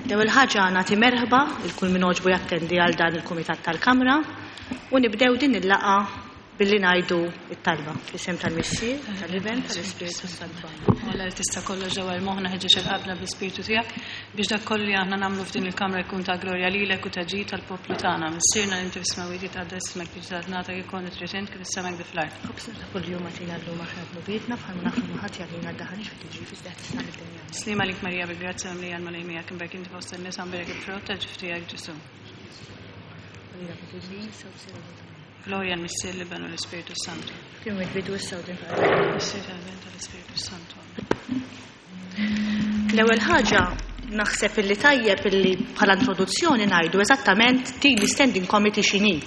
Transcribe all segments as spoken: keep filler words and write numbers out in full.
L-ewwel ħaġa nagħti merħba lil kull min għoġbu jattendi għal dan il-Kumitat tal-Kamra u nibdew din il-laqgħa billi ngħidu it-talba. Fl-isem tal-Missier, tal-Iben, tal-Ispiritu Santu. Alla li tista' kollox ġewwa moħħna ħeġġeġ qalbna bl-Ispirtu tiegħek biex dak kollu li aħna nagħmlu f'din il-kamra jkun ta' glorja lilek u ta' ġid tal-poplu tagħna. Missierna li inti fis-smewwiet jitqaddes ismek tiġi saltnatek ikun trid int kif fis-sema hekk fl-art. Ħobżna ta' kuljum agħtina llum aħfir dnubietna bħalma naħfru lil ħadd jagħtina daħanix fi tiġrib iżda eħlisna mid-dinja. Sliema għalik Marija bil-grazzja mimlija l-Mulej miegħek imberek inti fost in-nisa mbierek il-frott tal-ġuf tiegħek Ġesu. Glorja l-Missier l-Iben u l-Ispiritu Santu. Kien bidu issa u din Missier tal-Iben tal-Ispiritu Santu. L-ewwel ħaġa naħseb illi tajjeb illi bħala introduzzjoni ngħidu eżattament din l-Standing Committee x'inhi.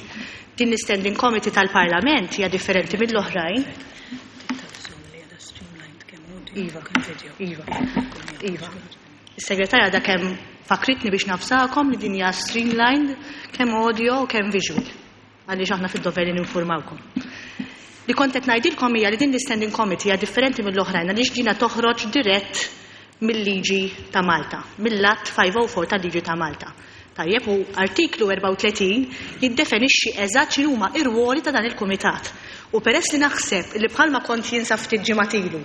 Din l-Standing Committee tal-Parlament hija differenti mill-oħrajn. Iva, Iva, Iva. Is-segretarja da kemm fakritni biex navżakom li din hija streamlined kemm audio u kemm visual. Għaliex aħna fid-dover li ninformawkom. Li kont qed ngħidilkom hija li din l-Standing Committee hija differenti mill-oħrajn għaliex dina toħroġ dirett mill-liġi ta' Malta, mill-Att five oh four tal-liġi ta' Malta. Tajjeb, u artiklu erbgħa u tletin jiddefinixxi eżatt x'inhuma ir-ruoli ta' dan il-kumitat. U peress li naħseb li bħalma kont jinsa ftit ġimgħat ilu,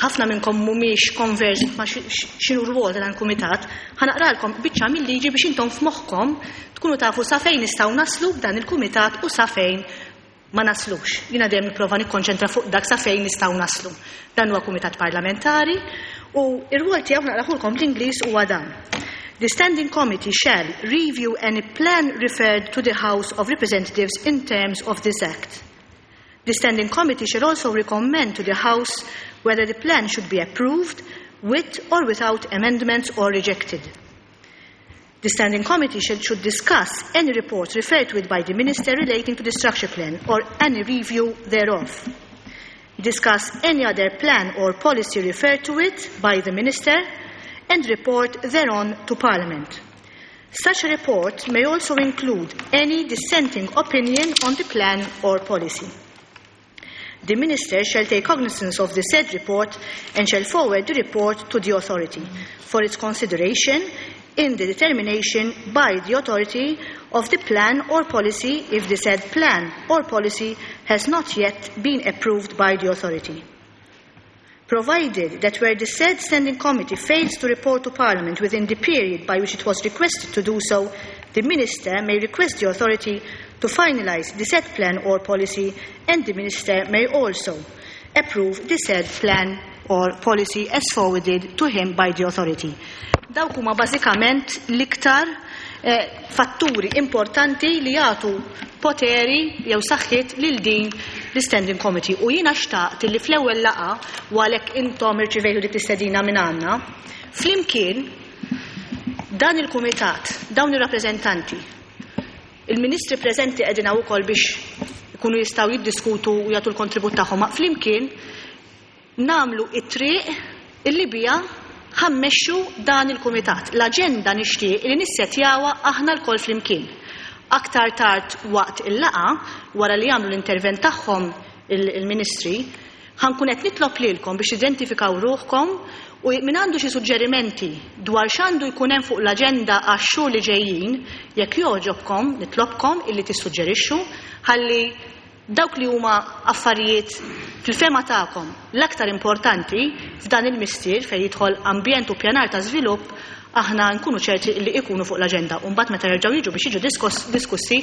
ħafna minnkom mhumiex conversed ma' x'inhu r-rwol ta' dan il-kumitat, ħa naqralkom biċċa mill-liġi biex intom f'moħħkom tkunu tafu sa fejn nistgħu naslu b'dan il-kumitat u sa fejn ma naslux. Jiena dejjem nipprova nikkonċentra fuq dak sa fejn nistgħu naslu. Dan huwa kumitat parlamentari u ir-rwol tiegħu naqrahulkom bl-Ingliż huwa dan. The Standing Committee shall review any plan referred to the House of Representatives in terms of this Act. The Standing Committee shall also recommend to the House whether the plan should be approved with or without amendments or rejected. The Standing Committee should, should discuss any report referred to it by the Minister relating to the structure plan or any review thereof. Discuss any other plan or policy referred to it by the Minister and report thereon to Parliament. Such a report may also include any dissenting opinion on the plan or policy. The Minister shall take cognizance of the said report and shall forward the report to the authority for its consideration in the determination by the authority of the plan or policy if the said plan or policy has not yet been approved by the authority. Provided that where the said Standing Committee fails to report to Parliament within the period by which it was requested to do so, the Minister may request the authority to finalise the said plan or policy, and the Minister may also approve the said plan or policy as forwarded to him by the authority. Dawk huma bażikament l-iktar eh, fatturi importanti li jagħtu poteri jew saħħiet lil din l-Standing Committee. U jiena xtaqt li fl-ewwel laqgħa, u għalhekk intom irċivejtu dik l-istedina minn għandna, flimkien dan il-kumitat, dawn ir-rappreżentanti, il-ministri preżenti qegħdin hawn ukoll biex ikunu jistgħu jiddiskutu u jagħtu l-kontribut tagħhom, ma flimkien nagħmlu it-triq illi bija ħa mmexxu dan il-kumitat. L-aġenda nixtieq li nissetjawha aħna lkoll flimkien. Aktar tard waqt il-laqgħa, wara li jagħmlu l-intervent tagħhom il-ministri, ħa nkun qed nitlob lilkom biex identifikaw ruħkom u min għandu xi suġġerimenti dwar x'għandu jkun hemm fuq l-aġenda għax-xhur li ġejjin, jekk jogħġobkom, nitlobkom illi tissuġġerixxu ħalli dawk li huma affarijiet fil-fehma tagħkom l-aktar importanti f'dan il-mistier fejn jidħol ambjent u pjanar ta' żvilupp, aħna nkunu ċerti li ikunu fuq l-aġenda. U mbagħad meta jerġgħu jiġu biex jiġu diskussi,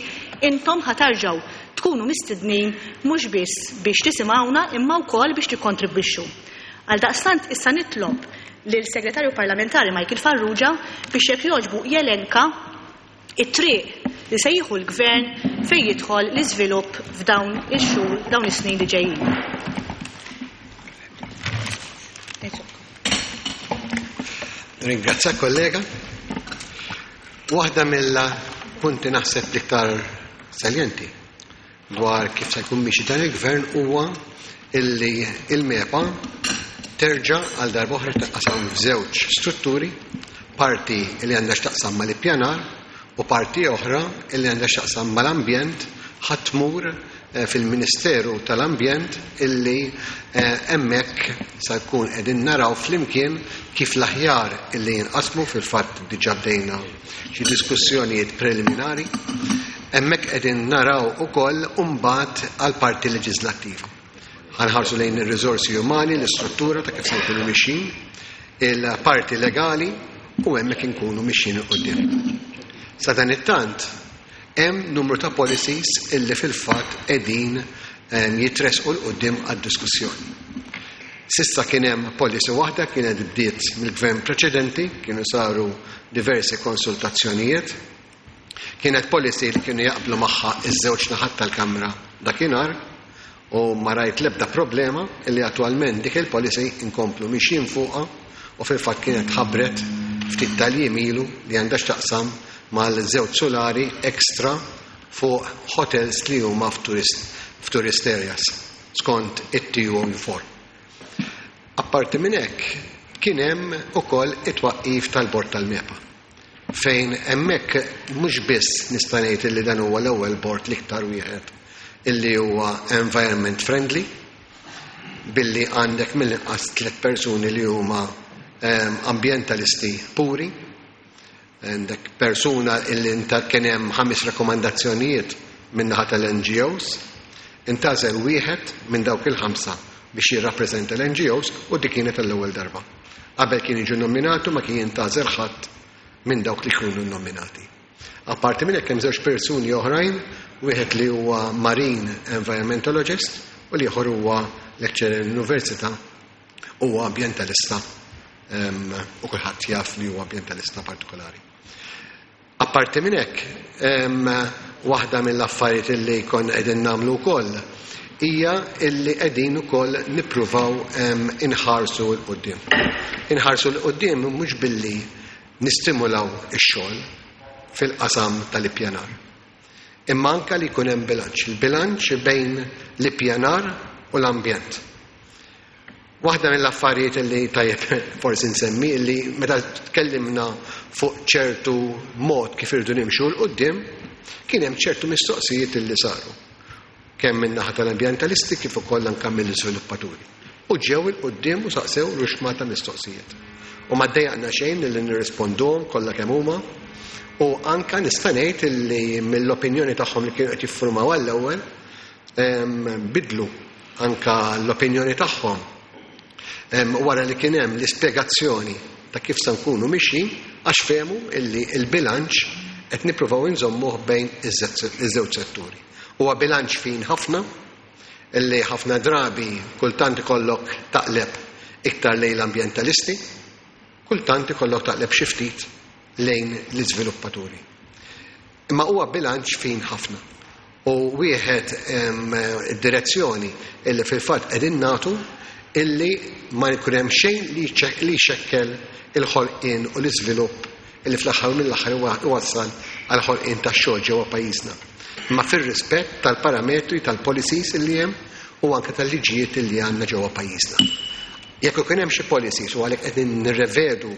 intom ħa terġgħu tkunu mistednin mhux biss biex tisimgħuna imma wkoll biex tikkontribwixxu. Għal daqstant issa nitlob lil segretarju parlamentari Michael Farrugia biex jekk jogħġbu jelenka it-triq li se jieħu l-gvern fejn jidħol l-iżvilupp f'dawn ix-xhur, dawn is-snin li ġejjin. Ringrazzja kollega. Waħda mill-punti naħseb l-iktar saljenti dwar kif se jkun miexi dan il-gvern huwa illi il-MEPA terġa' għal darba oħra taqsam f'żewġ strutturi, parti li għandha x'taqsam mal-ippjanar u parti oħra illi għandha x'taqsam mal-ambjent ħa tmur fil-Ministeru tal-Ambjent illi hemmhekk sa jkun qegħdin naraw flimkien kif l-aħjar illi jinqasmu. Fil-fatt diġà bdejna xi diskussjonijiet preliminari. Hemmhekk qegħdin naraw ukoll mbagħad għal parti leġislattiva. Ħa nħarsu lejn ir-riżorsi umani, l-istruttura ta' kif se nkunu mixjin, il-parti legali, u hemmhekk inkunu mixjin 'il quddiem. Sa dan it-tant hemm numru ta' policies illi fil-fatt qegħdin jitressqu 'l quddiem għad-diskussjoni. S'issa kien hemm policy waħda, kienet bdiet mill-gvern preċedenti, kienu saru diversi konsultazzjonijiet. Kienet policy li kienu jaqblu magħha iż-żewġ naħat tal-Kamra dakinhar u ma rajt l-ebda problema illi attwalment dik il-policy inkomplu mixjin fuqha, u fil-fatt kienet ħabbret ftit tal-jiem ilu li għandha x'taqsam mal-żewġ solari ekstra fuq hotels li huma f'tourist, f'tourist areas skont it-T U four. Apparti minn hekk kien hemm ukoll it-twaqqif tal-bord tal-MEPA, fejn hemmhekk mhux biss nista' ngħid li dan huwa l-ewwel bord l-iktar wieħed illi huwa environment friendly, billi għandek mill-inqas tliet persuni li huma ambientalisti puri, għandek persuna illi inta kien hemm ħames rakkomandazzjonijiet min-naħa tal-N G Os, intgħażel wieħed minn dawk il-ħamsa biex jirrappreżenta l-N G Os, u dik kienet l-ewwel darba. Qabel kien jiġu nominatu, ma kien jintgħażel ħadd minn dawk li kienu nominati. Apparti minn hekk hemm żewġ persuni oħrajn, wieħed li huwa marine environmentologist u l-ieħor huwa lecturer l-università, huwa ambientalista u kulħadd jaf li huwa ambientalista partikolari. Apparti minn hekk, waħda mill-affarijiet illi kon qegħdin nagħmlu wkoll hija illi qegħdin ukoll nippruvaw inħarsu 'l quddiem. Inħarsu 'l quddiem mhux billi nistimulaw ix-xogħol fil-qasam tal-ippjanar, imma anka li jkun hemm bilanċ, il-bilanċ bejn l-ippjanar u l-ambjent. Waħda mill-affarijiet li tajjeb forsi nsemmi, li meta tkellimna fuq ċertu mod kif irridu nimxu 'l quddiem, kien hemm ċertu mistoqsijiet li saru, kemm minn naħa tal-ambjentalisti kif ukoll anke mill-iżviluppaturi. U ġew 'il quddiem u saqsew ruxxmata mistoqsijiet. U ma ddejjaqna xejn li nirrisponduhom kollha kemm huma, u anka nista' ngħid li mill-opinjoni tagħhom li kienu qed jiffurmaw għall-ewwel bidlu anka l-opinjoni tagħhom wara li kien hemm l-ispjegazzjoni ta' kif se nkunu mixjin, għax fehmu illi il-bilanċ qed nippruvaw inżommuh bejn iż-żewġ setturi. Huwa bilanċ fin ħafna, illi ħafna drabi kultant ikollok taqleb iktar lejn l-ambjentalisti, kultant ikollok taqleb xi ftit lejn l-iżviluppaturi. Imma huwa bilanċ fin ħafna. U wieħed id-direzzjoni illi fil-fatt qegħdin nagħtu illi ma jkun hemm xejn li jxekkel il-ħolqien u l-iżvilupp illi fl-aħħar mill-aħħar iwassal għal ħolqien tax-xogħol ġewwa pajjiżna. Imma fir-rispett tal-parametri tal-policies illi hemm u anke tal-liġijiet illi għandna ġewwa pajjiżna. Jekk ikun hemm xi policies, u għalhekk qegħdin nirrevedu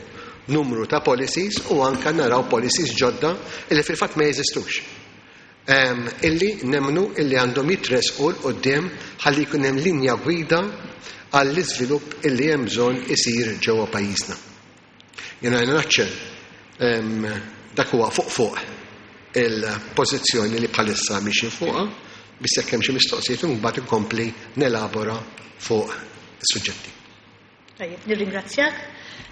numru ta' policies u anke naraw policies ġodda illi fil-fatt ma jeżistux, illi nemnu illi għandhom jitressqu 'l quddiem ħalli jkun hemm linja gwida għall-iżvilupp illi hemm bżonn isir ġewwa pajjiżna. Jiena naċċel dak huwa fuq fuq il-pożizzjoni li bħalissa mixin fuqha, biex jekk hemm xi mistoqsijiet imbagħad inkompli nelabora fuq is-suġġetti. Tajjeb, nirringrazzjak.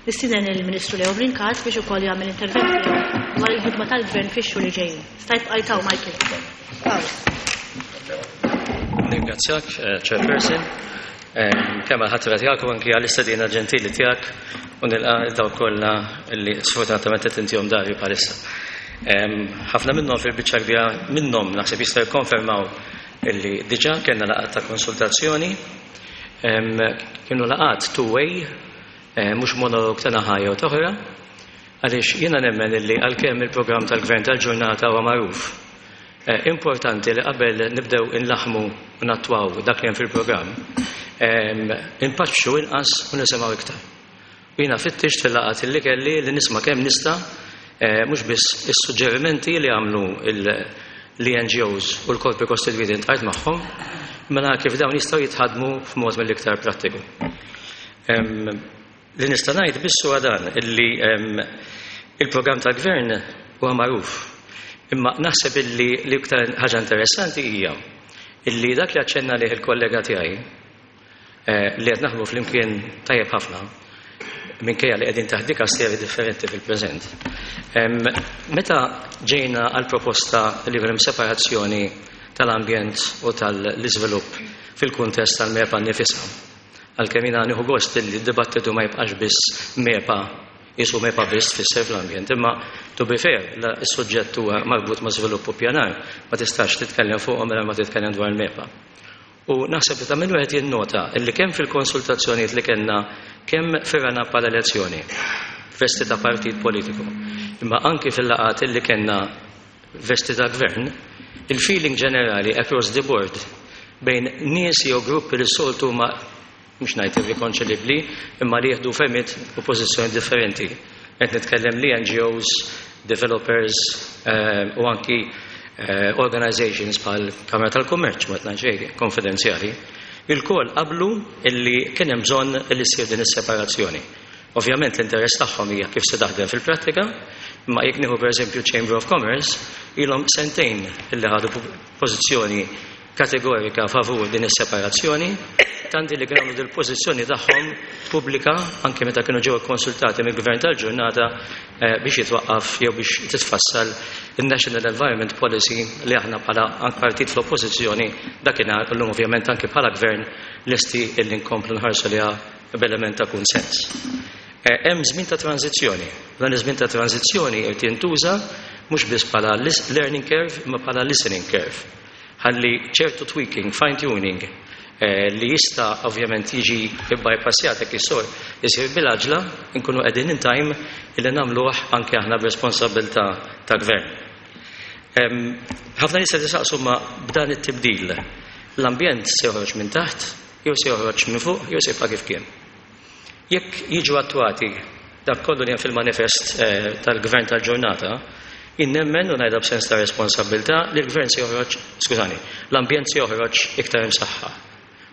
Nistieden il-Ministru Leo Brincat biex ukoll jagħmel intervent dwar il-ħidma tal-Gvern fix-xhur li ġejjin. Stajt bqajtaw, Michael. Nirringrazzjak, eh, Chairperson, kemm għal-ħatra tiegħek u anki għall-istedina ġentili tiegħek, u nilqa' dawk kollha li sfortunatament qed intihom dahri bħalissa. Ħafna minnhom, fil-biċċa kbira minnhom naħseb jistgħu jikkonfermaw illi diġà kellna laqgħat ta' konsultazzjoni, kienu laqgħat two-way, mhux monolog ta' naħa jew t'oħra, għaliex jiena nemmen illi għalkemm il-programm tal-Gvern tal-ġurnata huwa magħruf, importanti li qabel nibdew inlaħmu u nattwaw dak li hemm fil-programm, inpaċċu inqas u nisimgħu iktar. U jiena fittixt fil-laqgħat li kelli li nisma' kemm nista', mhux biss is-suġġerimenti li għamlu L-N G Os u l-korpi kostitwiti ltqajt magħhom, mela kif dawn jistgħu jitħadmu f'mod mill-iktar prattiku. Li nista' ngħid biss huwa dan, illi il-programm tal-gvern huwa magħruf. Imma naħseb illi l-iktar ħaġa interessanti hija illi dak li aċċenna lih il-kollega tiegħi eh, li qed naħdmu flimkien tajjeb ħafna minkejja li qegħdin taħt dikasteri differenti fil-preżent. Meta ġejna għal proposta li hemm separazzjoni tal-ambjent u tal-iżvilupp fil-kuntest tal-MEPA nnifisha, għalkemm jiena nieħu gost li d-dibattitu ma jibqax biss MEPA jisu MEPA biss tfisser fl-ambjent, imma to be fair, is-suġġett huwa marbut ma' żvilupp u pjanar, ma tistax titkellem fuqhom mela ma titkellem dwar il-MEPA. U naħseb li ta' min wieħed jinnota illi kemm fil-konsultazzjonijiet li kellna, kemm firana bħala elezzjoni, vesti ta' partit politiku, imma anki fil-laqgħat illi kellna vesti ta' gvern, il-feeling ġenerali across the board bejn nies jew gruppi li soltu ma mhux ngħid irrikonċilibbli, imma li jieħdu fehmiet u pożizzjoni differenti. Qed nitkellem li N G Os, developers eh, u anki eh, organizations bħal Kamra tal-Kummerċ, ma tnajx konfidenzjali, ilkoll qablu illi kien hemm bżonn illi ssir din is-separazzjoni. Ovvjament l-interess tagħhom hija kif se taħdem fil-prattika, imma jekk nieħu pereżempju Chamber of Commerce, ilhom sentejn illi ħadu pożizzjoni kategorika favur din is-separazzjoni, tanti li kienu dil-pożizzjoni tagħhom pubblika anke meta kienu ġew konsultati mill-gvern tal-ġurnata eh, biex jitwaqqaf jew biex titfassal il-National Environment Policy li aħna bħala partit fl-oppożizzjoni dakinhar, illum ovvjament anke bħala gvern lesti illi nkomplu nħarsu liha b'element ta' kunsens. Eh, hemm żmien ta' tranzizzjoni. Dan iż-żmien ta' tranzizzjoni qed jintuża mhux biss bħala learning curve imma bħala listening curve. Ħalli ċertu tweaking, fine tuning eh, li jista' ovvjament jiġi bypassjat jekk isor isir bil-għaġla, nkunu qegħdin in time illi nagħmluh anke aħna b'responsabilità ta' gvern. Ħafna nies jistaqsu, ma b'dan it-tibdil l-ambjent se joħroġ minn taħt, jew se joħroġ minn fuq, jew se jibqa' kif kien? Jekk jiġu attwati dak kollu li hemm fil-manifest eh, tal-gvern tal-ġurnata, nemmen u ngħidha b'sens ta' responsabilità li l-gvern se joħroġ, skużani, l-ambjent se joħroġ iktar imsaħħa.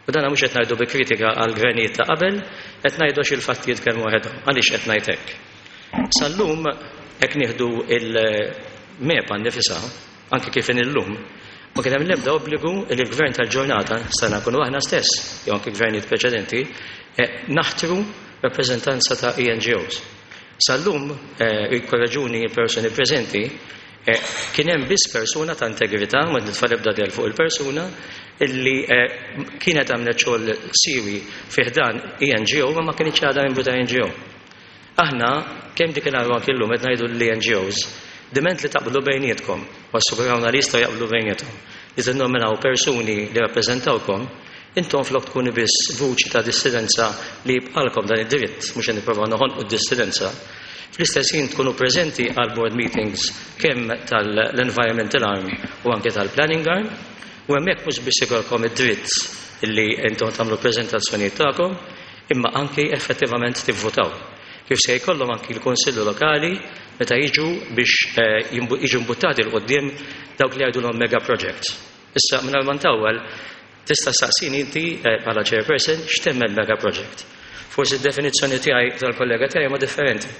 U dan mhux qed ngħidu bi kritika għal gvernijiet ta' qabel, qed ngħidu għax il-fatti jitkellmu waħedhom. Għaliex qed ngħid hekk? Sal-lum hekk nieħdu il-MEPA nnifisha, anke kif illum, ma kien hemm l-ebda obbligu li l-gvern tal-ġurnata, stajna nkunu aħna stess, jew anke gvernijiet preċedenti, eh, naħtru rappreżentanza ta' E N G Os. Sal-lum, eh, jikkorreġuni persuni preżenti, eh, kien hemm biss persuna ta' integrità, ma nitfa' ebda del fuq il-persuna, illi eh, kienet għamlet xogħol siwi fi ħdan E N G O, ma ma kienx għadha membru ta' N G O. Aħna, kemm dik il anke llum qed ngħidu l-N G Os, diment li taqblu bejnietkom, u assigurawna li jistgħu jaqblu bejniethom, li tinnominaw persuni li rappreżentawkom, intom flok tkunu biss vuċi ta' dissidenza, li jibqalkom dan id-dritt, mhux qed nipprovaw noħonqu d-dissidenza. Fl-istess ħin tkunu preżenti għal board meetings kemm tal-environmental arm u anke tal-planning arm, u hemmhekk mhux biss ikolkom id-dritt illi intom tagħmlu preżentazzjonijiet tagħkom, imma anke effettivament tivvotaw. Kif se jkollhom anki l-Konsillu Lokali meta jiġu biex eh, jiġu mbuttati 'l quddiem dawk li jgħidulhom mega projects. Issa minn ma ntawwal, tista' saqsini inti eh, bħala chairperson x'temmen mega project. Forsi d-definizzjoni tiegħi tal-kollega tiegħi ma differenti.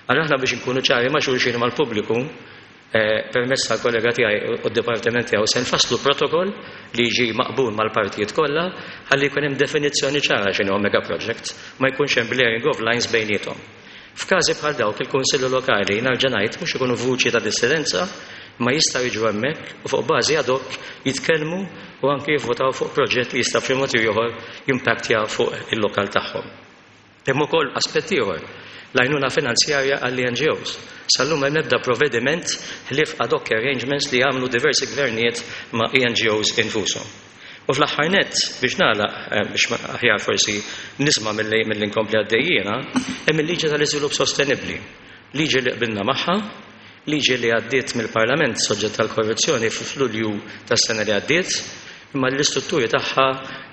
Għal aħna biex nkunu ċari ma' xulxin, mal-pubbliku, eh, permezz tal-kollega tiegħi u d-dipartiment tiegħu se nfasslu protokoll li jiġi maqbul mal-partijiet kollha ħalli jkun hemm definizzjoni ċara x'inhu mega project, ma jkunx hemm blurring of lines bejniethom. F'każi bħal dawk il-Kunsillu Lokali, nerġa' ngħid, mhux ikunu vuċi ta' dissidenza, ma jistgħu jiġu hemmhekk u fuq bażi ad hoc jitkellmu u anke jivvotaw fuq proġett li jista' f'xi mod ieħor jimpattja fuq il-lokal tagħhom. Hemm ukoll aspett ieħor, l-għajnuna finanzjarja għall-N G Os. Sal-lum hemm ebda provvediment ħlief ad hoc arrangements li jagħmlu diversi gvernijiet ma' E N G Os infushom. U fl-aħħar nett, biex nagħlaq, eh, biex aħjar forsi nisma' milli milli nkompli għaddejjiena, hemm il-liġi tal-iżvilupp sostenibbli. Liġi li qbilna magħha, liġi li għaddiet mill-Parlament soġġett tal-korruzzjoni f'Lulju tas-sena li għaddiet, imma l-istrutturi tagħha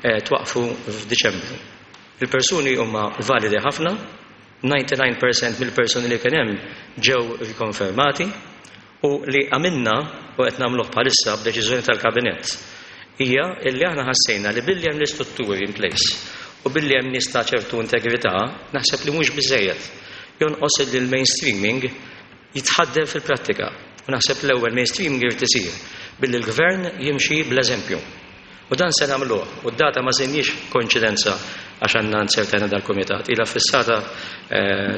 eh, twaqfu f'Diċembru. Il-persuni huma validi ħafna, disgħa u disgħin fil-mija mill-persuni li kien hemm ġew rikonfermati. U li għamilna u qed nagħmluh bħalissa b'deċiżjoni tal-Kabinett hija illi aħna ħassejna li billi hemm l-istrutturi in place u billi hemm nies ta' ċertu integrità, naħseb li mhux biżejjed. Jonqos li l-mainstreaming jitħaddem fil-prattika. U naħseb l-ewwel mainstreaming irid isir billi l-gvern jimxi bl-eżempju. U dan se nagħmluh, u d-data ma żinniex koinċidenza għax għandna nsertena dal-kumitat, ilha fissata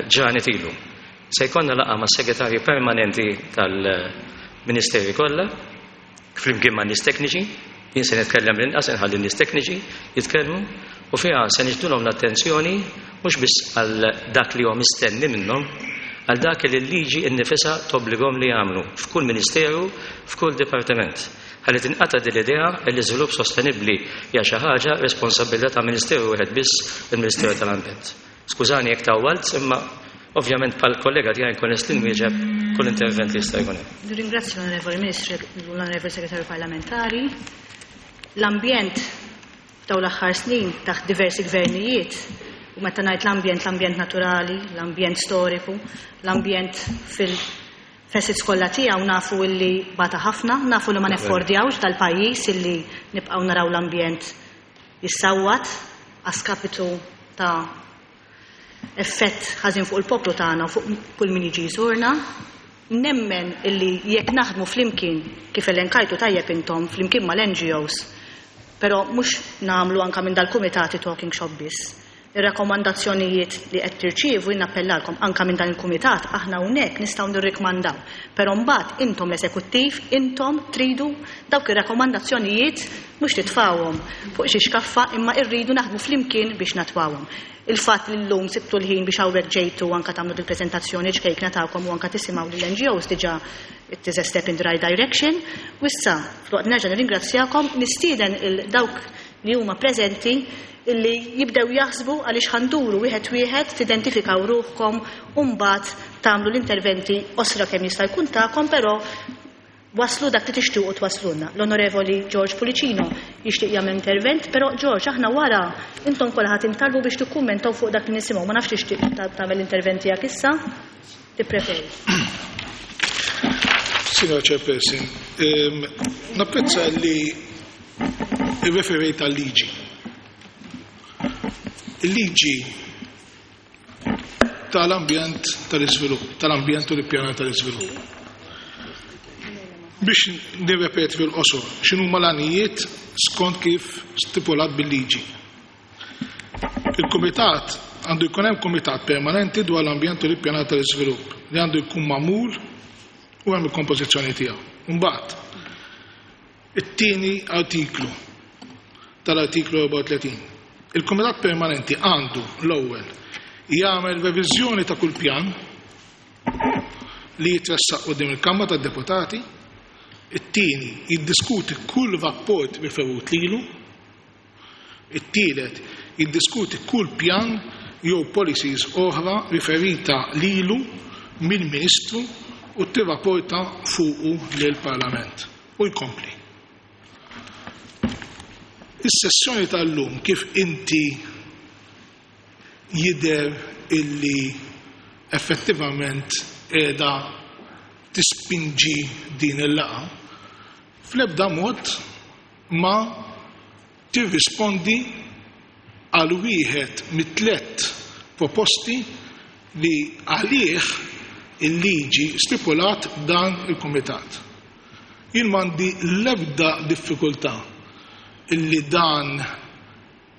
ġranet ilu. Se jkollna laqgħa ma' segretarji permanenti tal-Ministeri kollha, flimkien ma' nies tekniċi, jien se nitkellem l-inqas, inħalli nies tekniċi jitkellmu, u fiha se niġbdulhom l-attenzjoni mhux biss għal dak li huwa mistenni minnhom, għal dak li l-liġi nnifisha tobbligahom li jagħmlu f'kull ministeru, f'kull dipartiment. Ħalli tinqata' din l-idea li l-iżvilupp sostenibbli hija xi ħaġa responsabilità ta' ministeru wieħed biss, il-Ministeru tal-Ambjent. Skużani jekk tawwalt, imma ovvjament bħal kollega tiegħi nkun lest nwieġeb kull intervent li jista' jkun hemm. Nirringrazzja l-Onorevoli Ministru u l-Onorevoli Segretarju Parlamentari. L-ambjent f'dawn l-aħħar snin taħt diversi gvernijiet, u meta ngħid l-ambjent, l-ambjent naturali, l-ambjent storiku, l-ambjent fil-facets kollha tiegħu, nafu illi bata ħafna, nafu li ma neffordjawx dal-pajjiż illi nibqgħu naraw l-ambjent jissawwat għaskapitu ta' effett ħażin fuq il-poplu tagħna u fuq kull min jiġi jżurna. Nemmen illi jekk naħdmu flimkien, kif elenkajtu tajjeb intom, flimkien mal-N G Os, però mhux nagħmlu anke minn dal-kumitati talking shop biss. Ir-rakkomandazzjonijiet li qed tirċievu jien nappellalkom anke minn dan il-kumitat, aħna hawnhekk nistgħu nirrikmandaw. Però mbagħad intom l-eżekuttiv, intom tridu dawk ir-rakkomandazzjonijiet mhux titfawhom fuq xi xkaffa, imma rridu naħdmu flimkien biex natwawhom. Il-fatt li llum sibtu l-ħin biex hawnhekk ġejtu anke tagħmlu dil-preżentazzjoni ġkejkna tagħkom u anke tisimgħu lill-N G Os diġà it is a step in the right direction. U issa, filwaqt nerġa' nirringrazzjakom, nistieden il dawk li huma preżenti illi jibdew jaħsbu għaliex ħanduru wieħed wieħed, tidentifikaw ruħkom u mbagħad tagħmlu l-interventi osra kemm jista' jkun tagħkom, però waslu dak li tixtiequ twaslulna. L-Onorevoli George Pullicino jixtieq jagħmel intervent, però George, aħna wara intom kollha ħadd intalbu biex tikkummentaw fuq dak li nisimgħu. Ma nafx tixtieq ta-, tagħmel l-intervent tiegħek issa? Tippreferi. Signora Chairperson, ehm, napprezza li irreferejt għal-liġi. Il-liġi tal-ambjent tal-iżvilupp, tal-ambjent u l-ippjanar tal-iżvilupp. Biex nirrepeti fil-qosor, x'inhuma l-għanijiet skont kif stipulat bil-liġi. Il-kumitat għandu jkun hemm kumitat permanenti dwar l-ambjent u l-ippjanar tal-iżvilupp li għandu jkun magħmul u hemm il-kompożizzjoni tiegħu. Imbagħad, it-tieni artiklu tal-artiklu erbgħa u tletin. Il-Kumitat Permanenti għandu l-ewwel jagħmel reviżjoni ta' kull pjan li jitressaq quddiem il-Kamra tad-Deputati, it-tieni jiddiskuti kull rapport riferut lilu, it-tielet jiddiskuti kull pjan jew policies oħra riferita lilu mill-Ministru u tirrapporta fuqu lill-Parlament u jkompli. Is-sessjoni tal-lum kif inti jidher illi effettivament qiegħda tispinġi din il-laqgħa, fl-ebda mod ma tirrispondi għal wieħed mit-tliet proposti li għalih il-liġi stipulat dan il-kumitat. Jien m'għandi l-ebda diffikultà illi dan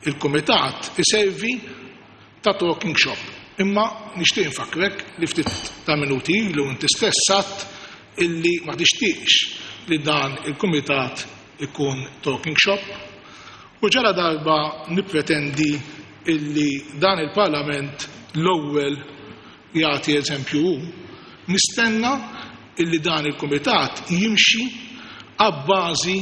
il-kumitat iservi ta' talking shop. Imma nixtieq infakkrek li ftit ta' minuti ilu inti stess għedt illi ma tixtieqx li dan il-kumitat ikun talking shop u ġara darba nippretendi illi dan il-Parlament l-ewwel jagħti eżempju hu, nistenna illi dan il-kumitat jimxi għabbażi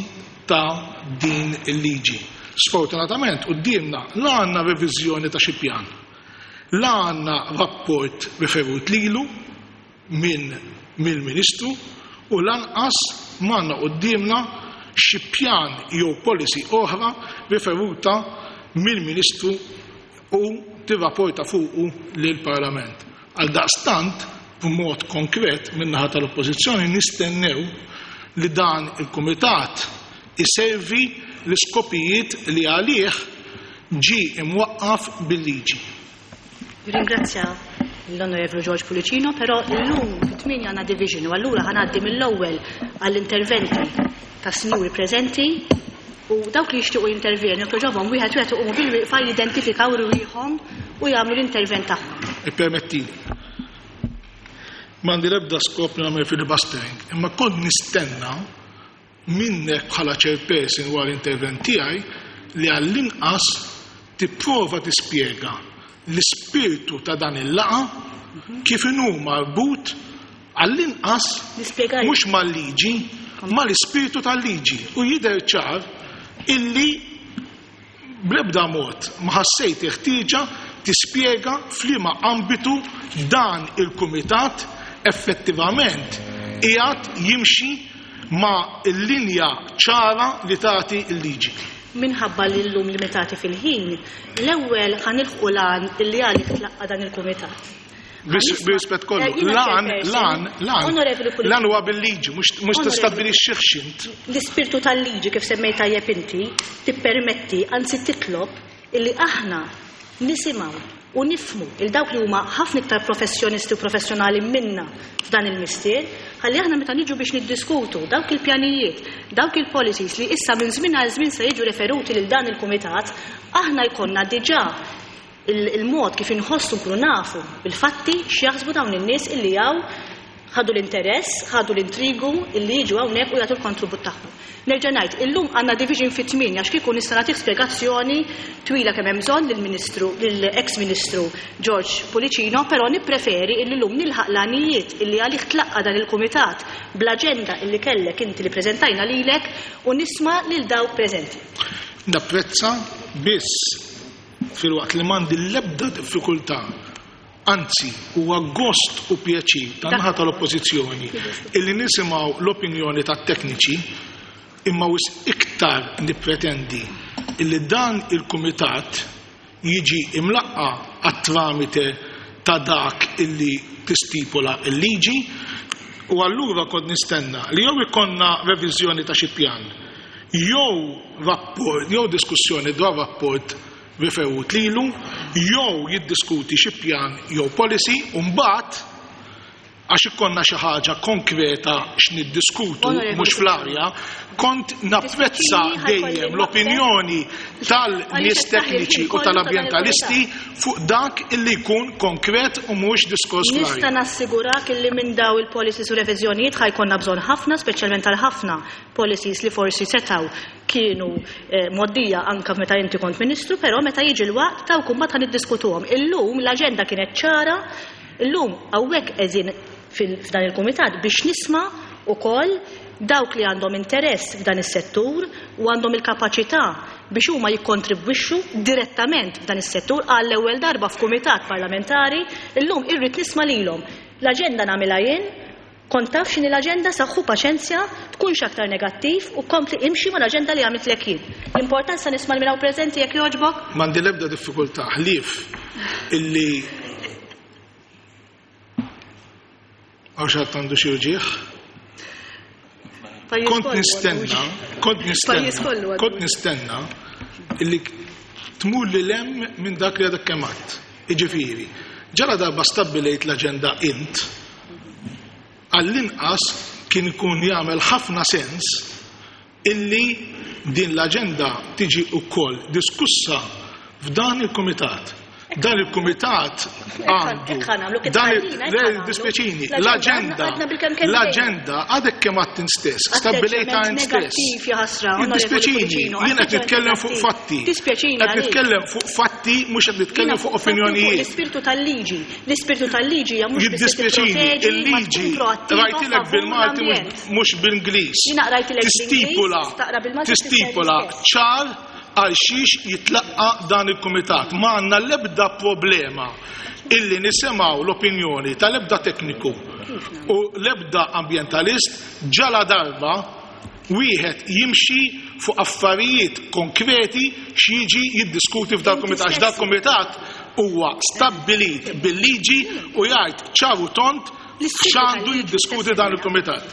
ta' din il-liġi. Sfortunatament, quddiemna la għandna reviżjoni ta' xi pjan, la għandna rapport riferut lilu minn mill-Ministru u lanqas m'għandna quddiemna xi pjan jew policy oħra riferuta mill-Ministru u tirrapporta fuqu lill-Parlament. Għal daqstant b'mod konkret min-naħa tal-Oppożizzjoni nistennew li dan il-kumitat iservi l-iskopijiet li għalih ġie imwaqqaf bil-liġi. Ringrazzja l-Onorevoli George Pullicino, però illum fit-tmienja għandna division u allura ħa ngħaddi mill-ewwel għall-interventi ta' sinjuri preżenti u dawk li jixtiequ jintervjenu jogħġobhom wieħed wieħed iqumu bil-wieqfa jidentifikaw rwieħhom u jagħmlu l-intervent tagħhom. Ippermettili. M'għandi l-ebda skop li nagħmel filibustering, imma kont nistenna minnek bħala chairperson wara l-intervent tiegħi li għall-inqas tipprova tispjega l-ispirtu ta' dan il-laqgħa kif inhu marbut għall-inqas Nispjegali. mhux mal-liġi, mal-ispirtu tal-liġi. U jidher ċar illi bl-ebda mod ma ħassejt ħtieġa tispjega f'liema ambitu dan il-kumitat effettivament qiegħed jimxi ma' l-linja ċara li tagħti l-liġi. Minħabba li llum limitati fil-ħin, l-ewwel ħa nilħqu l-għan illi għalih tlaqqa dan il-kumitat. Bis- Bir-rispett kollu, Eh, jiena lan, chairperson, lan, lan, Onorevoli Pullicino. lan huwa bil-liġi, mhux mhux Onorevoli. tistabbilixxih int. L-ispirtu tal-liġi kif semmejt tajjeb inti tippermetti, anzi titlob illi aħna nisimgħu u nifhmu il dawk li huma ħafna iktar professjonisti u professjonali minna f'dan il-mistier, ħalli aħna meta niġu biex niddiskutu dawk il-pjanijiet, dawk il-policies li issa minn żmien għal żmien se jiġu referuti lil dan il-kumitat, aħna jkollna diġà il- il-mod kif inħossu nkunu nafu bil-fatti x'jaħsbu dawn in-nies illi hawn ħadu l-interess, ħadu l-intrigu illi jiġu hawnhekk u jagħtu l-kontribut tagħhom. Nerġa' ngħid, illum għandna division fit-tmienja għax kieku nista' nagħtik spjegazzjoni twila kemm hemm bżonn lill-Ministru lill-ex-Ministru George Pullicino, però nippreferi illi llum nilħaq l-għanijiet illi għalih tlaqqa dan il-kumitat bl-aġenda illi kellek inti li preżentajna lilek u nisma' lil dawk preżenti. Napprezza biss filwaqt li m'għandi l-ebda diffikultà, anzi huwa gost u pjaċir tan-naħa tal-Oppożizzjoni illi nisimgħu l-opinjoni tat-tekniċi, imma wisq iktar nippretendi illi dan il-kumitat jiġi imlaqqa għat-tramite ta' dak illi tistipula il-liġi u allura kont nistenna li jew ikonna reviżjoni ta' xi pjan, jew rapport, jew diskussjoni dwar rapport riferut lilu, jew jiddiskuti xi pjan jew policy, u mbagħad għax ikonna xi ħaġa konkreta x'niddiskutu Onorevoli mhux fl-arja, kont napprezza Dispjaċini, ħa jkolli dejjem l-opinjoni tal-nies Għaliex qed taħli tekniċi l-ħin u kollu ta' dan tal-ambjentalisti fuq dak illi jkun konkret u mhux diskors Nista' fl-arja. nassigurak illi minn daw il-policies u reviżjonijiet ħa jkollna bżonn ħafna, speċjalment għal ħafna policies li forsi setaw kienu eh, moddija anka meta inti kont ministru, però meta jiġi l-waqt ta' mbagħad ħa niddiskutuhom. Illum l-aġenda kienet ċara, illum hawnhekk qegħdin f'dan il-kumitat biex nisma' ukoll dawk li għandhom interess f'dan is-settur u għandhom il-kapaċità biex huma jikkontribwixxu direttament f'dan is-settur għall-ewwel darba f'kumitat parlamentari, illum irrid nisma' lilhom. L-aġenda nagħmilha jien, kont taf x'inhi l-aġenda, saħħu paċenzja, tkunx aktar negattiv u kompli imxi mal-aġenda li għamiltlek jien. L-importanza nisma' lil min hawn preżenti jekk jogħġbok? M'għandi l-ebda diffikultà ħlief illi għaw xi ħadd għandu xi uġigħ. Pajjiż Kont kollu nistenna, għandu uġigħ. kont nistenna, Pajjiż kollu għandu kont nistenna illi tmur lil hemm minn dak li għadek kemm għedt. Jiġifieri, ġara darba stabbilejt l-aġenda int, għall-inqas kien ikun jagħmel ħafna sens illi din l-aġenda tiġi wkoll diskussa f'dan il-kumitat. Dan il-kumitat għandu Hekk ħa nagħmlu, kif dan il- tgħidina, hekk le, ħa nagħmlu. dispjaċini, L-aġenda l-aġenda għadna bil-kemm kemm l-aġenda għadek kemm għedt int stess, stabbilejtha int stess. Atteġġjament negattiv, ja ħasra, Onorevoli Jiddispjaċini, Pullicino, jien qed nitkellem fuq atteġġjament fatti. Dispjaċini Qed għalik. nitkellem fuq fatti mhux qed nitkellem Jiena fuq fuq fatti fuq opinjonijiet. L-ispirtu tal-liġi. L-ispirtu tal-liġi hija mhux biss Jiddispjaċini, tipproteġi, ma il-liġi tkun proattiva rajtilek favur bil-Malti mhux- l-ambjent. mhux bil-Ingliż. Jiena qrajtilek bl-Ingliż, Tistipula, taqra bil-Malti tistipula tifhem l-istess. ċar għal xiex jitlaqqa dan il-kumitat. Ma għandna l-ebda problema illi nisimgħu l-opinjoni tal-ebda tekniku u l-ebda ambjentalist ġala darba wieħed jimxi fuq affarijiet konkreti x'jiġi jiddiskuti f'dal kumitat. Għax dal kumitat huwa stabbilit bil-liġi u jgħid ċar u tond X'għandu jiddiskuti dan il-kumitat.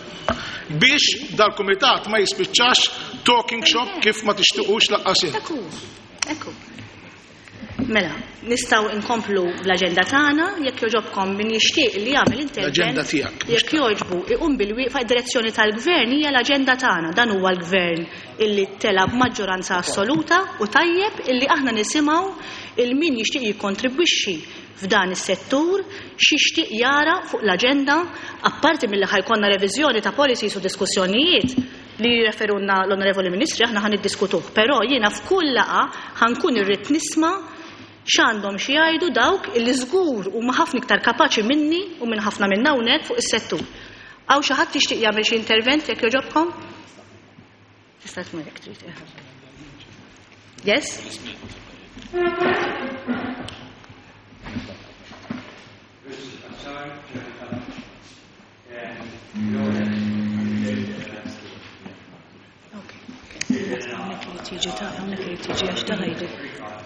Biex dal-kumitat ma jispiċċax talking shop kif ma tixtiqux lanqas int. Ekku, ekku. Mela, nistgħu nkomplu bl-aġenda tagħna, jekk jogħġobkom min jixtieq li jagħmel intervent. L-aġenda tiegħek, mhux. Jekk jogħġbu iqum bil-wieqfa. Id-direzzjoni tal-gvern hija l-aġenda tagħna. Dan huwa l-gvern illi tela b'maġġoranza assoluta u tajjeb illi aħna nisimgħu il min jixtieq jikkontribwixxi f'dan is-settur x'jixtieq jara fuq l-aġenda, apparti milli ħa jkollna reviżjoni ta' policies u diskussjonijiet li referunna l-Onorevoli Ministri, aħna ħa niddiskutuh, però jiena f'kull laqgħa ħa nkun irrid nisma' x'għandhom xi jgħidu dawk illi żgur huma ħafna iktar kapaċi minni u minn ħafna minn hawnhekk fuq is-settur. Hawn xi ħadd jixtieq jagħmel xi intervent, jekk jogħġobkom? Tista' tmur jekk trid. Yes?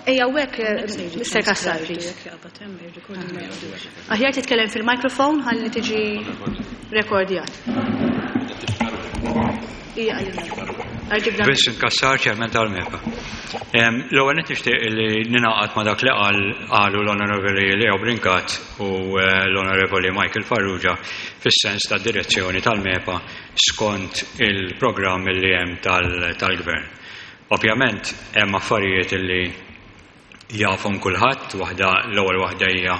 Ejja, hekk, Mister Cassar, please. Aħjar titkellem fil-mikrofon ħalli tiġi rekordjat. Vincent Cassar, Chairman tal-MEPA. L-ewwel nett nixtieq li ningħaqad ma' dak li qal qalu l-Onorevoli Leo Brincat u l-Onorevoli Michael Farrugia fis-sens ta' direzzjoni tal-MEPA skont il-programm li hemm tal-gvern. Ovvjament hemm affarijiet li jafhom kulħadd, waħda l-ewwel waħda hija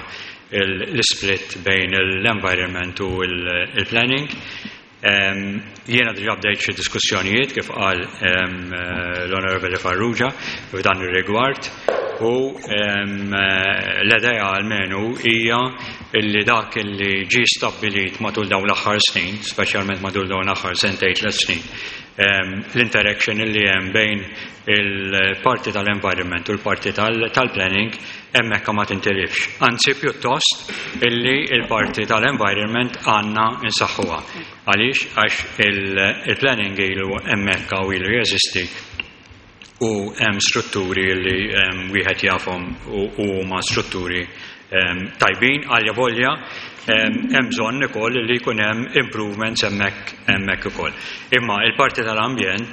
l-split bejn l-environment u l-planning. Jiena diġà bdejt xi diskussjonijiet kif qal l-Onorevoli Farrugia f'dan ir-rigward, u l-idea almenu hija li dak li ġie stabbilit matul dawn l-aħħar snin, speċjalment matul dawn l-aħħar sentejn tliet snin, l-interaction li hemm bejn il-parti tal-environment u l-parti tal-planning hemmhekk ma tintilifx. Anzi pjuttost illi il-parti tal-environment għandna nsaħħuha. Għaliex? Għax il-planning ilu hemmhekk u ilu jeżisti u hemm strutturi li wieħed jafhom u huma strutturi tajbin, għalja volja hemm bżonn ukoll li jkun hemm improvements hemmhekk hemmhekk ukoll. Imma il-parti tal-ambjent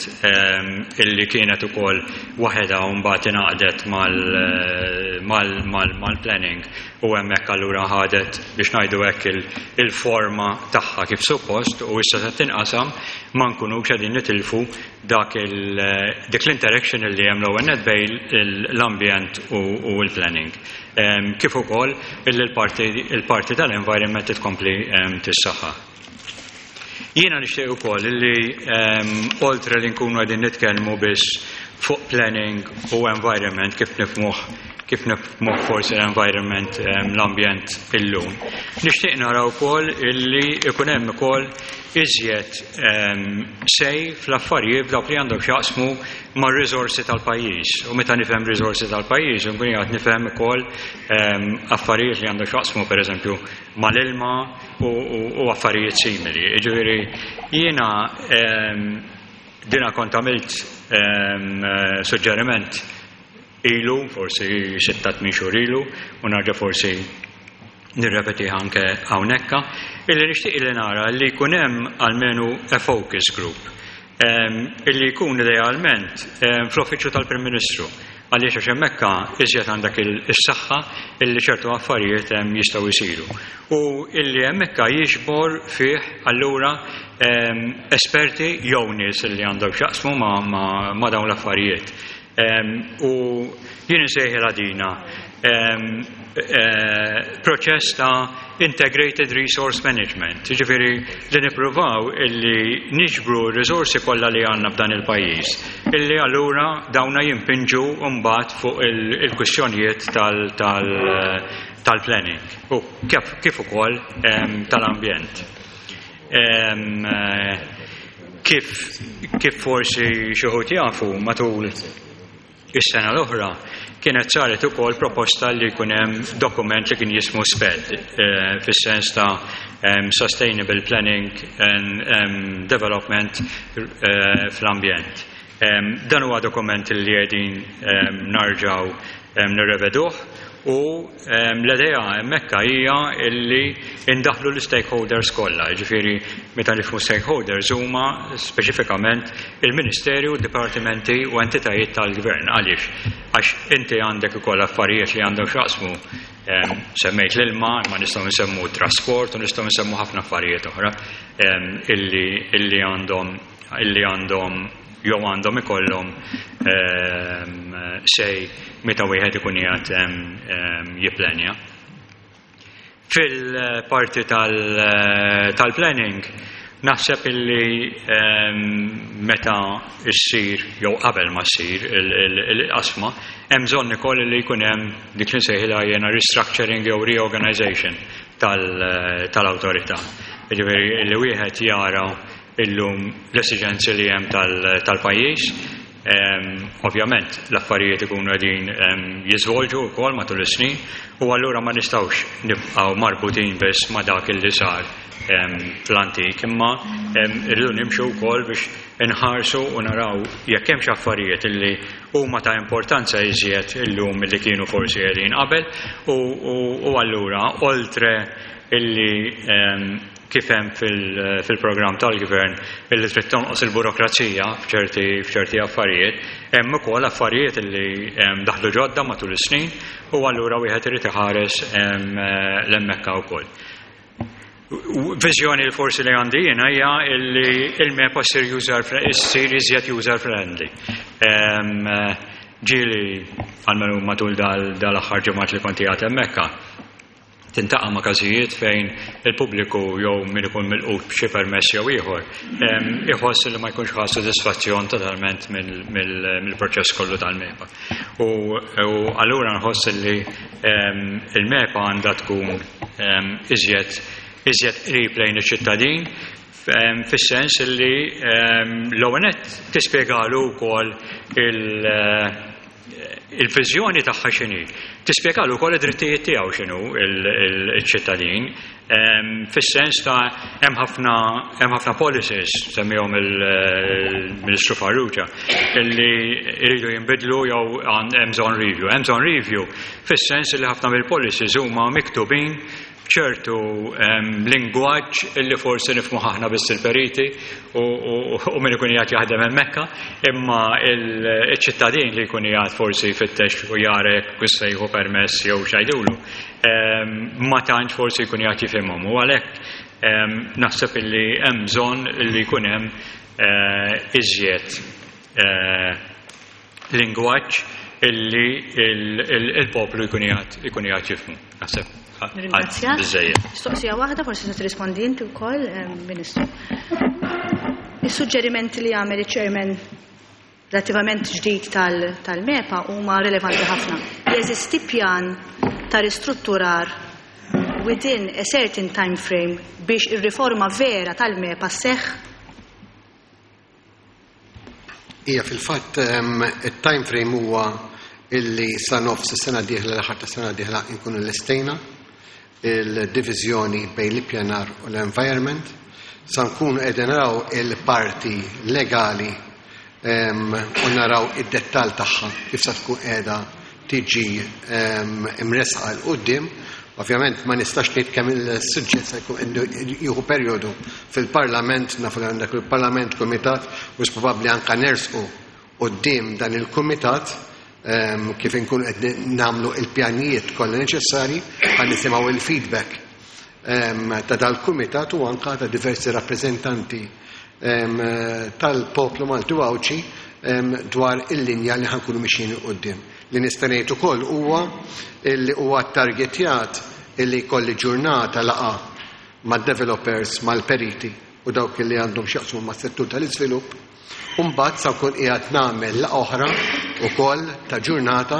illi kienet ukoll waħedha u mbagħad ingħaqdet mal-planning u hemmhekk allura ħadet biex ngħidu hekk il-forma tagħha kif suppost, u issa se tinqasam ma nkunux qegħdin nitilfu dak dik l-interaction li hemm l-ewwel nett bejn l-ambjent u l-planning. Kif ukoll il-parti tal-environment titkompli tissaħħa. Jiena nixtieq ukoll li oltre li nkunu qegħdin nitkellmu biss fuq planning u environment kif nifhmuh kif nifhmuh forsi l-environment, l-ambjent illum. Nixtieq nara wkoll illi ikun hemm ukoll iżjed sej fl-affarijiet dawk li għandhom x'jaqsmu mar-riżorsi tal-pajjiż. U meta nifhem riżorsi tal-pajjiż, nkun qiegħed nifhem ukoll affarijiet li għandhom x'jaqsmu pereżempju mal-ilma u affarijiet simili. Jiġifieri jiena dina kont għamilt suġġeriment ilu, forsi sitta tmien xhur ilu, u narġa' forsi nirrepetiha anke hawnhekk, illi nixtieq li nara li jkun hemm almenu a focus group, illi jkun idealment fl-uffiċċju tal-Prim Ministru, għaliex għax hemmhekk iżjed għandek is-saħħa illi ċertu affarijiet hemm jistgħu jsiru. U illi hemmhekk jiġbor fih allura esperti jew nies illi għandhom x'jaqsmu ma' dawn l-affarijiet. U jien insejħilha dina proċess ta' integrated resource management, jiġifieri li nippruvaw illi niġbru r-riżorsi kollha li għandna f'dan il-pajjiż, illi allura dawna jimpinġu mbagħad fuq il-kwistjonijiet tal-planning u kif ukoll tal-ambjent. Kif forsi xi wħud jafu, matul is-sena l-oħra kienet saret ukoll proposta li jkun hemm dokument li kien jismu SPED, fis-sens ta' Sustainable Planning and Development fl-ambjent. Dan huwa dokument li qegħdin narġgħu nirreveduh U l-idea hemmhekk hija illi indaħlu l-stakeholders kollha, jiġifieri meta nifhmu stakeholders huma speċifikament il-Ministeru, dipartimenti u entitajiet tal-gvern. Għaliex? Għax inti għandek ukoll affarijiet li għandhom x'jaqsmu, semmejt l-ilma, ma nistgħu nsemmu trasport u nistgħu nsemmu ħafna affarijiet oħra illi illi għandhom illi għandhom jew għandhom ikollhom say meta wieħed ikun qiegħed jipplenja. Fil-parti tal-planning naħseb illi meta ssir jew qabel ma ssir il-qasma hemm bżonn ukoll li jkun hemm dik li nsejħilha jiena restructuring jew reorganization tal-awtorità. Jiġifieri li wieħed jara illum l-esiġenzi li hemm tal-pajjiż. Ovvjament l-affarijiet ikunu qegħdin jiżvolġu wkoll matul is-snin u allura ma nistgħux nibqgħu marbutin biss ma' dak illi sar fl-antik, imma irridu nimxu wkoll biex inħarsu u naraw jekk hemm xi affarijiet illi huma ta' importanza iżjed illum milli kienu forsi qegħdin qabel u allura oltre illi kif hemm fil-programm tal-gvern illi trid tonqos il-burokrazija f'ċerti f'ċerti affarijiet, hemm ukoll affarijiet illi daħlu ġodda matul is-snin u allura wieħed irid iħares l-hemmhekk ukoll. Viżjoni li forsi li għandi jiena hija illi il-MEPA ssir user issir iżjed user friendly. Ġieli għalmenu matul dal-aħħar ġimgħat li kont qiegħed hemmhekk tintaqa' ma' każijiet fejn il-pubbliku jew min ikun milqut b'xi permess jew ieħor iħoss li ma jkunx ħa sodisfazzjon totalment mill-proċess kollu tal-MEPA. U allura nħoss li il-MEPA għandha tkun iżjed iżjed qrib lejn iċ-ċittadin fis-sens li l-ewwel nett tispjegalu wkoll il-viżjoni tagħha x'inhi. Tispjegalu wkoll id-drittijiet tiegħu x'inhu il-ċittadin fis-sens ta' hemm ħafna hemm ħafna policies semmihom il-Ministru Farrugia illi jridu jinbidlu jew hemm bżonn review. Hemm bżonn review fis-sens li ħafna mill-policies huma miktubin ċertu lingwaġġ illi forsi nifhmu aħna biss il-periti u min ikun qiegħed jaħdem hemmhekk, imma il-ċittadin li jkun qiegħed forsi jfittex u jara jekk se jieħu permess jew x'għidulu, ma tantx forsi jkun qiegħed jifhimhom. U għalhekk naħseb illi hemm bżonn illi jkun hemm iżjed lingwaġġ illi il-poplu jkun qiegħed ikun qiegħed jifhmu. Naħseb. Ringrazzjak. Mistoqsija waħda, forsi se tirrispondi inti wkoll, Ministru. Is-suġġerimenti li għamel iċ-chairman relattivament ġdid tal-MEPA huma relevanti ħafna. Jeżisti pjan ta' ristrutturar within a certain time frame biex ir-riforma vera tal-MEPA sseħħ? Ija, fil-fatt it-time frame huwa illi sa nofs is-sena dieħla, l-aħħar ta' sena dieħla nkunu lestejna il-diviżjoni bejn l-ippjanar u l-environment, sa nkunu qegħdin naraw il-parti legali u naraw id-dettall tagħha kif sa tkun qiegħda tiġi imresqa 'l quddiem. Ovvjament ma nistax ngħid kemm il-suġġett se jkun jieħu perjodu fil-Parlament, nafu li għandek il-Parlament kumitat u probabbli anke nersqu quddiem dan il-kumitat kif inkunu qed nagħmlu il-pjanijiet kollha neċessarji ħa nisimgħu il-feedback ta' dal-kumitat u anke ta' diversi rappreżentanti tal-poplu Malti u Għawdxi dwar il-linja li ħankunu mixjin 'il quddiem. Li nista' ngħid ukoll huwa li huwa targetjat illi jkolli ġurnata laqgħa mad-developers, mal-periti u dawk li għandhom x'jaqsmu mas-settur tal-iżvilupp. Umbagħad sa nkun qiegħed nagħmel laqgħa oħra wkoll ta' ġurnata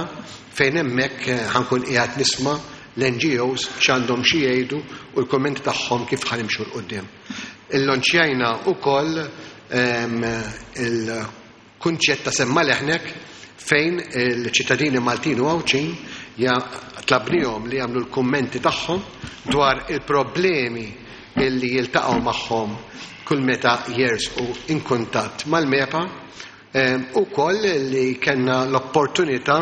fejn hemmhekk ħankun qiegħed nisma' l-N G Os x'għandhom xi jgħidu u l-kummenti tagħhom kif ħanimxu 'l quddiem. Illonċjajna wkoll il-kunċett ta' semma leħnek fejn il-ċittadini Maltin u Għawdxin tlabnihom li jagħmlu l-kummenti tagħhom dwar il-problemi illi jiltaqgħu magħhom kull meta jersqu in kuntatt mal-MEPA, u koll li kellna l-opportunità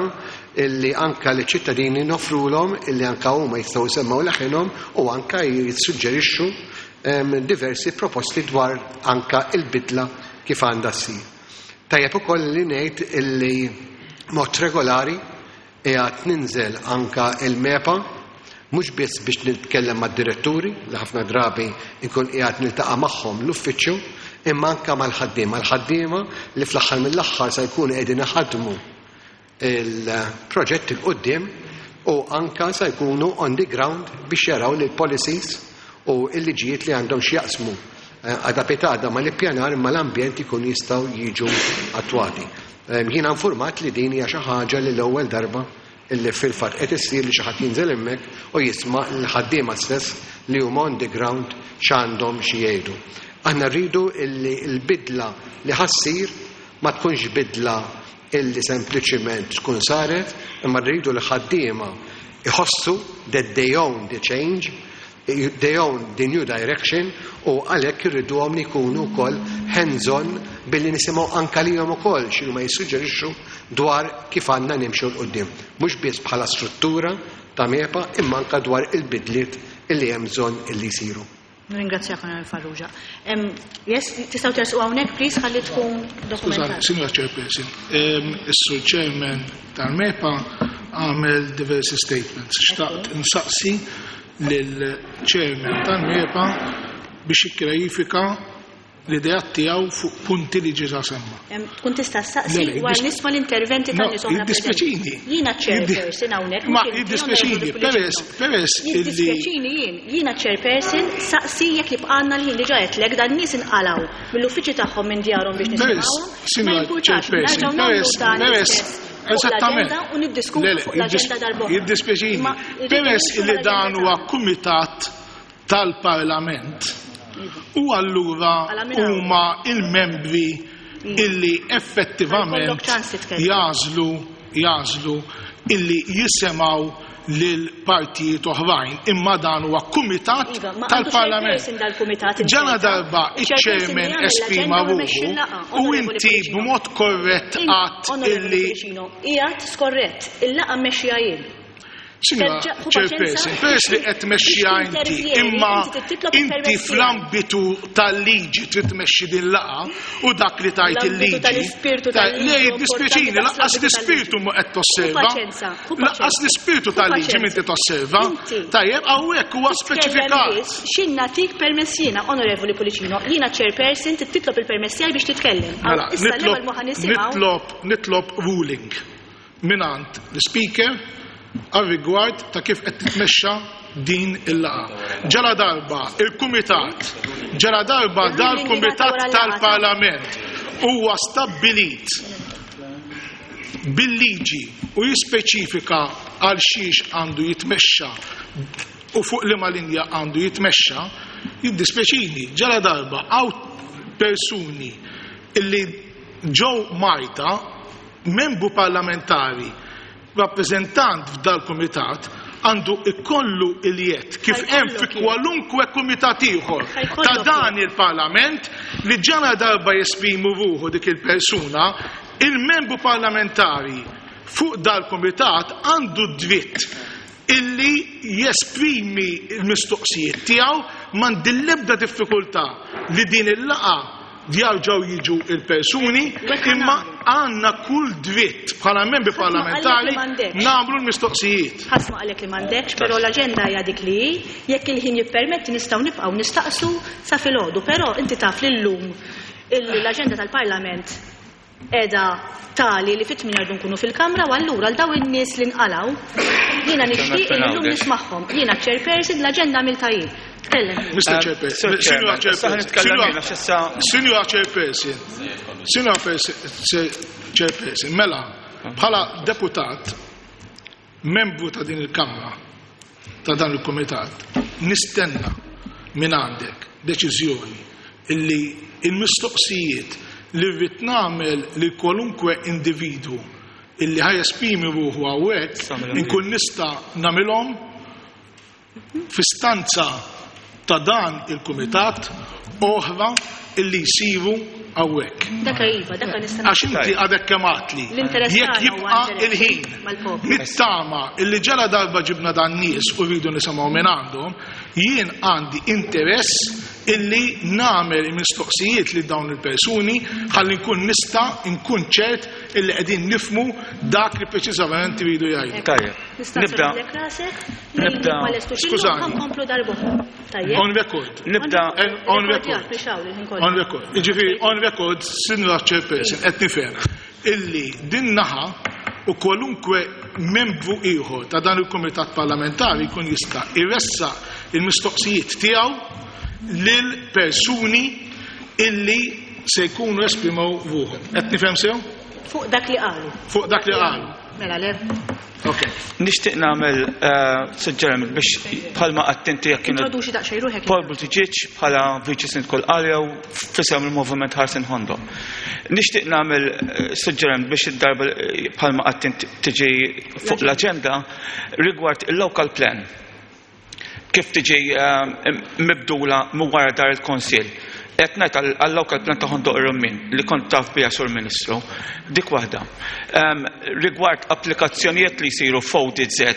Illi anka li ċittadini nofrulhom illi anka huma jistgħu jsemmaw leħinhom u anka jissuġġerixxu diversi proposti dwar anka il-bidla kif għandha ssir. Tajjeb ukoll li ngħid illi mod regolari qiegħed ninżel anka il-MEPA, mhux biss biex nitkellem mad-diretturi li ħafna drabi nkun qiegħed niltaqa' magħhom l-uffiċċju, imma anka mal-ħaddiema, l-ħaddiema li fl-aħħar mill-aħħar se jkunu qegħdin iħadmu il-proġett 'il quddiem u anka se jkunu on the ground biex jaraw li l-policies u l-liġijiet li għandhom x'jaqsmu għada pitgħada ma l-ippjanar imma l-ambjent ikun jistgħu jiġu attwati. Jiena informat li din hija xi ħaġa li l-ewwel darba illi fil-fatt qed issir li xi ħadd jinżel hemmhekk u jisma' l-ħaddiema stess li huma on the ground x'għandhom xi jgħidu. Aħna rridu illi l-bidla li ħa ssir ma tkunx bidla illi sempliċiment tkun saret, imma rridu li ħaddiema iħossu that they own the change, they own the new direction, u għalhekk irriduhom li jkunu wkoll hands-on billi nisimgħu anka lilhom ukoll x'inhu ma jissuġġerixxu dwar kif għandna nimxu 'l quddiem. Mhux biss bħala struttura ta' MEPA, imma anka dwar il-bidliet illi hemm bżonn illi jsiru. Nirringrazzjak, Onorevoli Farrugia. Yes, tistgħu tersqu hawnhekk, please, ħalli tkun dokumentat. Signora Chairperson, is-Sur Chairman tal-MEPA għamel diversi statements. Xtaqt insaqsi lill-Chairman tal-MEPA biex jikkjarifika l-idea tiegħu fuq punti li ġiġa semma. Tkun tista' ssaqsi wara nisma' l-interventi tan-nies oħra. Jiddispjaċini. Jiena chairperson hawnhekk. Ma jiddispjaċini, peress peress illi Jiddispjaċini jien, jiena chairperson, saqsi jekk jibqgħalna l-ħin. Diġà qedlek dan nies inqalgħu mill-uffiċċju tagħhom, minn djarhom, biex nisimgħuhom. Ma jimpurtax, nerġgħu nagħmlu dan l-istess. Eżattament. U niddiskutu fuq l-aġenda darb'oħra. Jiddispjaċini. Peress illi dan huwa kumitat tal-Parlament u allura huma il-membri illi effettivament jagħżlu jagħżlu illi jisimgħu lil partijiet oħrajn, imma dan huwa kumitat Iva, ma tal-Parlament. għandu dal-kumitat. Ġana darba iċ-chairman esprima ruħu u inti b'mod korrett għat illi Ijat skorrett, il-laqgħa mmexxija jien. Signora Terġa' ħu Chairperson, paċenza. peress li qed tmexxija Biex inti, tintervjeni, imma inti titlob inti il-permess fl-ambitu tal-liġi trid tmexxi din laqgħa u dak li tajt L-ambitu il-liġi. tal-ispirtu Ta' tal-liġi Le u jiddispjaċini, importanti lanqas daqs l-ispirtu ma qed tosserva. Ħu paċenza, ħu Lanqas paċenza. l-ispirtu Ħu tal-liġi paċenza. m'inti tosserva. Inti. Tajjeb, hawnhekk huwa speċifikat. Xin natik permess jiena, Onorevoli Pullicino, jiena chairperson, titlob il-permess tiegħi biex titkellem. Mela, Issa nitlob l-ewwel ma ħa nisimgħu. nitlob nitlob ruling mingħand l-speaker għal rigward ta' kif qed titmexxa din il-laqgħa. Ġala darba il-kumitat, ġala darba Il-ruling dal-kumitat jingħata wara l-laqgħa. Tal-Parlament huwa stabbilit bil-liġi u jispeċifika għal xiex għandu jitmexxa u fuq liema linja għandu jitmexxa, jiddispjaċini, ġala darba hawn persuni illi ġew Malta, membru parlamentari, rappresentant f'dal-kumitat, għandu ikollu il-jedd kif hemm fi Ħa jkollok jedd. Kwalunkwe kumitat ieħor Ħa jkollok ta' dan jedd. il-Parlament li ġana darba jesprimu ruħu dik il-persuna, il-membru parlamentari fuq dal-kumitat għandu dritt illi jesprimi il-mistoqsijiet tiegħu. M'għandi l-ebda diffikultà li din il-laqgħa jerġgħu jiġu il-persuni, Wek imma nagħmlu. Għandna kull dritt bħala membri Ħadd ma qallek parlamentari li m'għandekx. nagħmlu l-mistoqsijiet. Ħadd ma qalek li m'għandekx, però l-aġenda hija dik li hi, jekk il-ħin jippermetti nistgħu nibqgħu nistaqsu sa filgħodu, però inti taf li llum l-aġenda tal-Parlament qiegħda tali li fit-tmien rridu nkunu fil-kamra u allura għal daw in-nies li nqalgħu jiena nixtieq li llum nismagħhom. Jiena chairperson, l-aġenda għamiltha jien. Tkellem. Mister Um, Chairperson, Sir Signora Chairman, issa Chairperson, nitkellem Signora- jiena, x'issa- Signora Chairperson, Signora Chairperson, mela, bħala deputat, membru ta' din il-Kamra, ta' dan il-Komitat, nistenna minn għandek deċiżjoni illi il-mistoqsijiet li rrid nagħmel li kwalunkwe individwu illi ħa jesprimi ruħu hawnhekk inkun nista' nagħmilhom fi stanza ta' dan il-kumitat oħra illi jsiru hawnhekk. Daka iva, daka nista' Għax inti għadek kemm għedtli. L-interess Jekk tagħna huwa jibqa' interess il-ħin. mal-poplu. Nittama illi ġala darba ġibna dan nies u rridu nisimgħu minn għandhom, jien għandi interess illi nagħmel mistoqsijiet li dawn il-persuni ħalli nkun nista' nkun ċert illi qegħdin nifmu dak li preċiżament iridu jgħidu. Tajjeb. Nista' Nibda. nserraħlek rasek, Nibda- ma lestux illum Skużani. ħa nkomplu darb'oħra. Tajjeb? On record. Nibda On record. Biex hawn il-ħin kollu. On record. Jiġifieri on record, Sinjura Chairperson, qed nifhem illi din naħa u kwalunkwe membru ieħor ta' dan il-Kumitat Parlamentari jkun jista' iressaq il-mistoqsijiet tiegħu lil persuni illi se jkunu esprimew ruħhom. Qed nifhem sew? Fuq dak li qalu. Fuq dak li qalu. Mela le. Ok. Nixtieq nagħmel eh, suġġeriment biex bħalma attenti jekk kienu Introduċi daqsxejn ruħek. Paul Buttigieg bħala Viċi Sindku l-Qalja u f'isem il-Moviment Ħarsien Ħondoq. Nixtieq nagħmel eh, suġġeriment biex id-darba eh, bħalma attenti tiġi fuq l-aġenda rigward il-local plan kif tiġi eh, mibdula minn wara dar il-Konsil. Qed ngħid għall-local plan ta' Ħondoq ir-Rummin li kont taf biha sur Ministru, dik waħda. Em, Rigward applikazzjonijiet li jsiru f'O D Z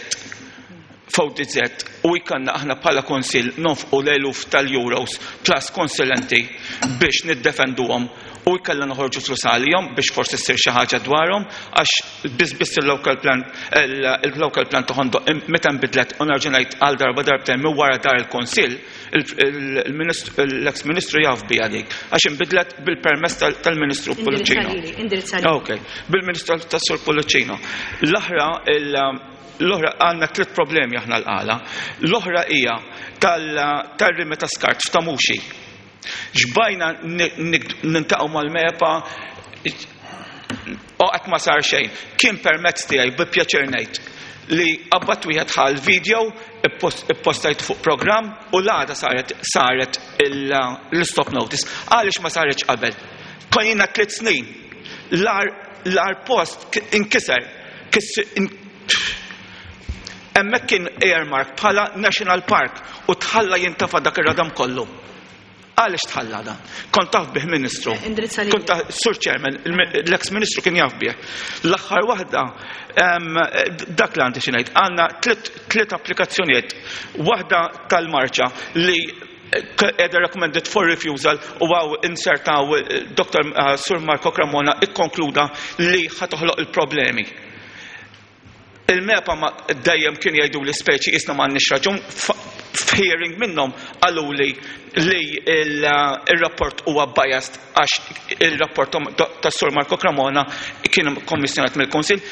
f'O D Z u jkollna aħna bħala konsil nonfqu l-eluf tal-euros plus konsulenti biex niddefenduhom u jkollna noħorġu flus għalihom biex forsi ssir xi ħaġa dwarhom, għax biss biss il-local plan il-local plan ta' Ħondoq meta nbidlet, u nerġa' ngħid għal darba darbtejn, minn wara dar il-konsil, l-ex ministru jaf biha dik, għax inbidlet bil-permess tal-Ministru Pullicino. Indirizza lili. Ok, bil-Ministru tas-Sur Pullicino. L-oħra l-oħra għandna tliet problemi aħna l-Qala. L-oħra hija tal-rimi ta' skart f'Ta' Muxi. Xbajna niltaqgħu mal-MEPA u qatt ma sar xejn. Kien permezz tiegħi, bi pjaċir ngħid, li qabbat wieħed ħal video, ippostajt fuq program u l-għada saret saret l-stop notice. Għaliex ma saretx qabel? Konna tliet snin. L-ar post inkiser. Hemmhekk kien earmark bħala National Park u tħalla jintafa dak ir-radam kollu. Għaliex tħalla dan? Kont taf bih, Ministru. Indirizza li. Kont taf, Sur Chairman, l-ex Ministru kien jaf bih. L-aħħar waħda, dak li għandi xi ngħid, għandna tliet applikazzjonijiet. Waħda tal-marċa li qiegħda recommended for refusal u għaw insertaw Doctor Sur Marco Cremona ikkonkluda li ħa toħloq il-problemi. Il-MEPA ma dejjem kien jgħidu li speċi isna m'għandniex raġun, f'hearing minnhom qalu li li il-rapport huwa biased għax il-rapport ta' Sur Marco Cremona kien kommissjonat mill-Kunsill.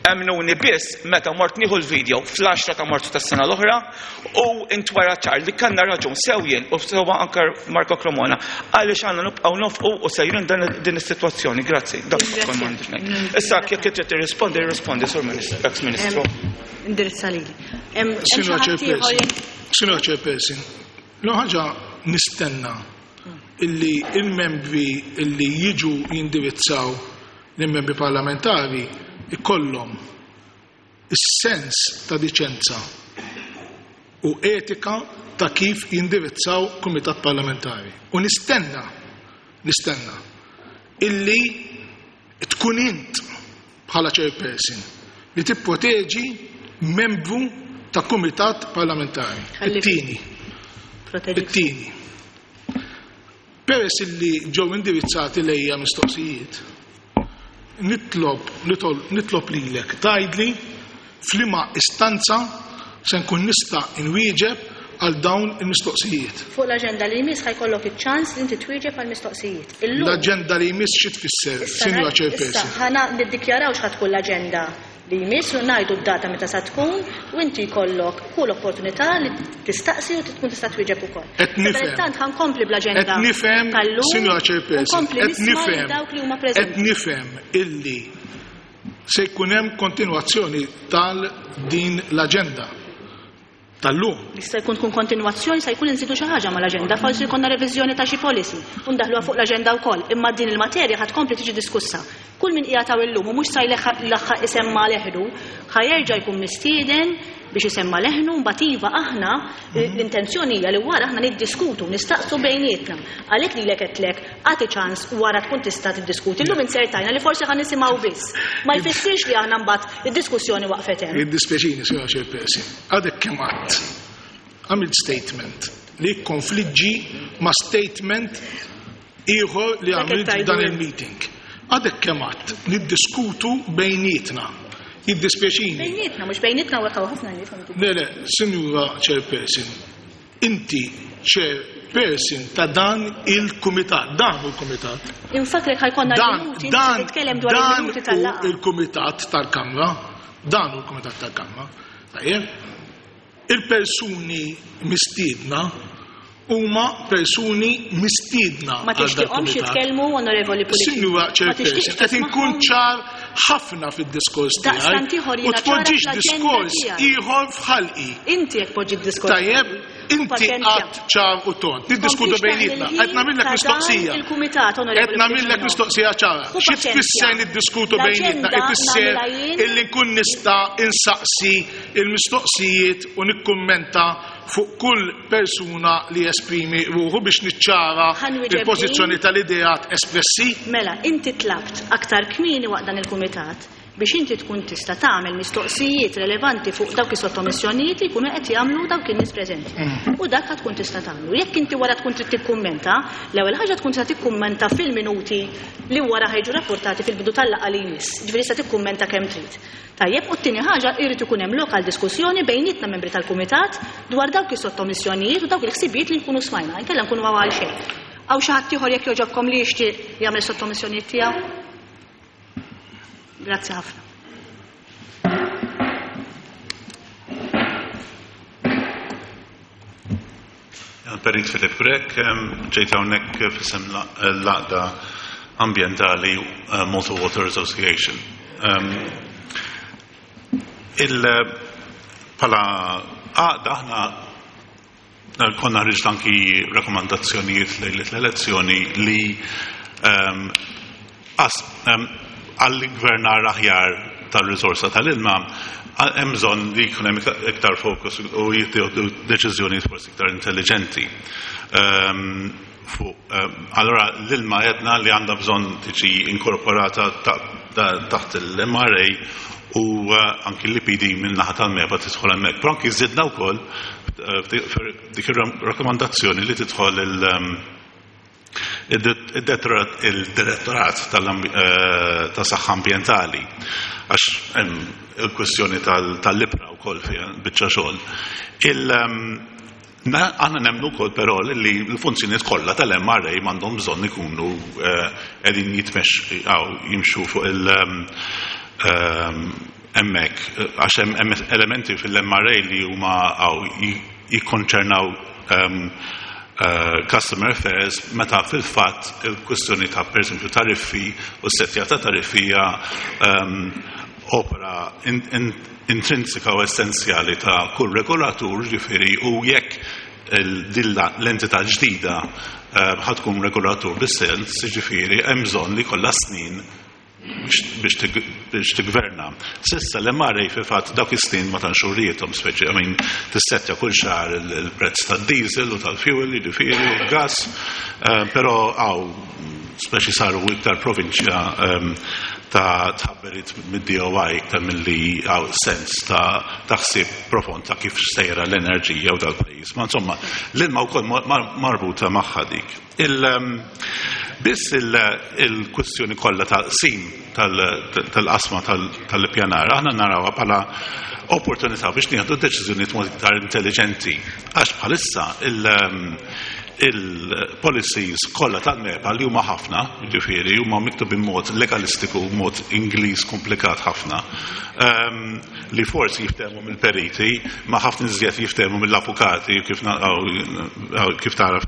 Emmnuni biss meta mort nieħu l-video fl-għaxra ta' Marzu tas-sena l-oħra u intwera ċar li kellna raġun sew jien u sewa anke Marco Cremona, għaliex għandna nibqgħu nofqu u sejrin din is-sitwazzjoni. Grazzi. Dak kont m'għandix ngħid. Issa jekk trid tirrispondi, tirrispondi, Sur Ministru, ex Ministru. Indirizza lili. Sinjora Chairperson, Sinjora Chairperson, l ħaġa nistenna illi il-membri illi jiġu jindirizzaw l-membri parlamentari ikollhom is-sens ta' diċenza u etika ta' kif jindirizzaw kumitat parlamentari. U nistenna, nistenna illi tkun int bħala chairperson li tipproteġi membru ta' kumitat parlamentari. It-tieni. It-tieni. Peress illi ġew indirizzati lejja mistoqsijiet, nitlob nitlob lilek tgħidli f'liema istanza se nkun nista' inwieġeb għal dawn il-mistoqsijiet. Fuq l-aġenda li jmiss ħa jkollok iċ-ċans li inti twieġeb għal mistoqsijiet. L-aġenda li jmiss xi tfisser, Sinjora Chairperson? Issa ħana niddikjaraw x'ħa tkun l-aġenda li jmiss u ngħidu d-data meta sa tkun u inti jkollok kull opportunità li tistaqsi u tkun tista' twieġeb ukoll. Qed nifhem. Tant ħa nkompli bl-aġenda Qed nifhem, tal-lum. Sinjora Chairperson, Nkompli qed nisma' lil nifhem, dawk li huma qed preżenti. nifhem illi se jkun hemm kontinwazzjoni tal din l-aġenda tal-lum. Jista' jkun tkun kontinwazzjoni, se jkun inżidu xi ħaġa mal-aġenda, forsi jkollna reviżjoni ta' xi policy u ndaħluha fuq l-aġenda wkoll, imma din il-materja ħa tkompli tiġi diskussa. Kull min qiegħed hawn illum u mhux sa jlaħħaq isemma leħnu, ħa jerġa' jkun mistieden biex biex isemma leħnu, mbagħad iva aħna l-intenzjoni hija li wara aħna niddiskutu, nistaqsu bejnietna. Għalhekk lilek qedlek agħti ċans wara tkun tista' tiddiskuti. Illum insertajna li forsi ħa nisimgħu biss. Ma jfissirx li aħna mbagħad id-diskussjoni waqfet hemm. Jiddispjaċini, Sinjora Chairperson, għadek kemm għadt għamilt statement li konfliġġi ma' statement ieħor li għamilt f'dan il-meeting. Għadek kemm għadt niddiskutu bejnietna. Jiddispjaċini. Bejnietna, mhux bejnietna u ħafna nies. Le, le, Sinjura Chairperson, inti Chairperson ta' dan il-kumitat, dan hu l-kumitat. Infakrek ħajkonna l-minuti, titkellem dwar il-minuti tal-laqgħa. Dan il-kumitat tal-Kamra, dan hu l-kumitat tal-Kamra. Tajjeb, il-persuni mistiedna huma persuni mistiedna. Ma tixtieqhomx jitkellmu, Onorevoli Pullicino. Sinjura Chairperson, qed inkun ċar ħafna fid-diskors tiegħi. U tpoġġix diskors ieħor f'ħalqi. Inti jekk poġġi d-diskors. Tajjeb, inti qatt ċar u tont. Niddiskutu bejnietna. Qed nagħmillek mistoqsija. Qed nagħmillek mistoqsija ċara. Xi tfisser niddiskutu bejnietna? Ifisser illi nkun nista' insaqsi il-mistoqsijiet u nikkummenta fuq kull persuna li esprimi ruħu biex niċċara il-pożizzjoni tal-ideat espressi. Mela, inti tlabt aktar kmieni waqt dan il-kumitat biex inti tkun tista' tagħmel mistoqsijiet relevanti fuq dawk is-sottomissjonijiet li jkunu qed jagħmlu dawk in-nies preżenti. U dak tkun tista' tagħmlu. Jekk inti wara tkun trid tikkummenta, l-ewwel ħaġa tkun tista' tikkummenta fil-minuti li wara ħajġu rapportati fil-bidu tal-laqgħa li jmiss. Ġifieri tista' tikkummenta kemm trid. Tajjeb, u t-tieni ħaġa jrid ikun hemm lokal diskussjoni bejnietna membri tal-kumitat dwar dawk is-sottomissjonijiet u dawk il-ħsibijiet li nkunu smajna, inkella nkunu għal xejn. Hawn xi ħadd ieħor jekk jogħġobkom li jixtieq jagħmel sottomissjonijiet tiegħu? Grazzi ħafna. Perit Filip Grech, ġejt hawnhekk f'isem l-Għaqda Ambjentali Malta Water Association. Pala għaqda aħna konna ħriġt anki rakkomandazzjonijiet lejlet l-elezzjoni li għall-gvernar aħjar tal-risorsa tal-ilma hemm bżonn li jkun hemm iktar fokus u jittieħdu deċiżjonijiet forsi iktar intelligenti. Allora l-ilma għedna li għandha bżonn tiġi inkorporata taħt l-M R A u anki l-I P D minn naħa tal-MEPA tidħol hemmhekk. Però anki żidna wkoll dik ir-rakkomandazzjoni li tidħol il-direttorat ta' saħħa ambjentali għax hemm il-kwestjoni tal-libra wkoll fiha biċċa xogħol. Aħna nemmnu wkoll però li l-funzjonijiet kollha tal-M R A m'għandhom bżonn ikunu qegħdin jitmexxu jimxu fuq il- hemmhekk għax hemm elementi fil-M R A li huma jikkonċernaw customer affairs meta fil-fatt il-kwistjoni ta' pereżempju tariffi u s-settja ta' tariffi hija opera intrinsika u essenzjali ta' kull regolatur, ġifieri u jekk l-entità ġdida ħa tkun regolatur bis-sens, ġifieri hemm bżonn li kollha snin biex tigverna. Sissa l-M R A fil-fatt dawk is-snin ma tantx urrietom, speċi, I mean, tissettja kull xahar il-prezz tad-diesel u tal-fuel, jiġifieri u l-gas, però hawn speċi saru iktar provinċja ta' tħabberit mid-D O I iktar milli hawn sens ta' ħsieb profond ta' kif sejra l-enerġija u dal-pajjiż. Ma insomma, l-ilma wkoll marbuta magħha dik. Biss il-kwestjoni kollha ta' qsim tal-qasma tal-ippjanar, aħna narawha bħala opportunità biex nieħdu deċiżjonijiet mod iktar intelligenti. Għax bħalissa il-policies kollha tal-MEPA li huma ħafna, jiġifieri huma miktubin mod legalistiku, mod Ingliż komplikat ħafna, li forsi jiftehmu mill-periti, ma ħafna iżjed jiftehmu mill-avukati kif tara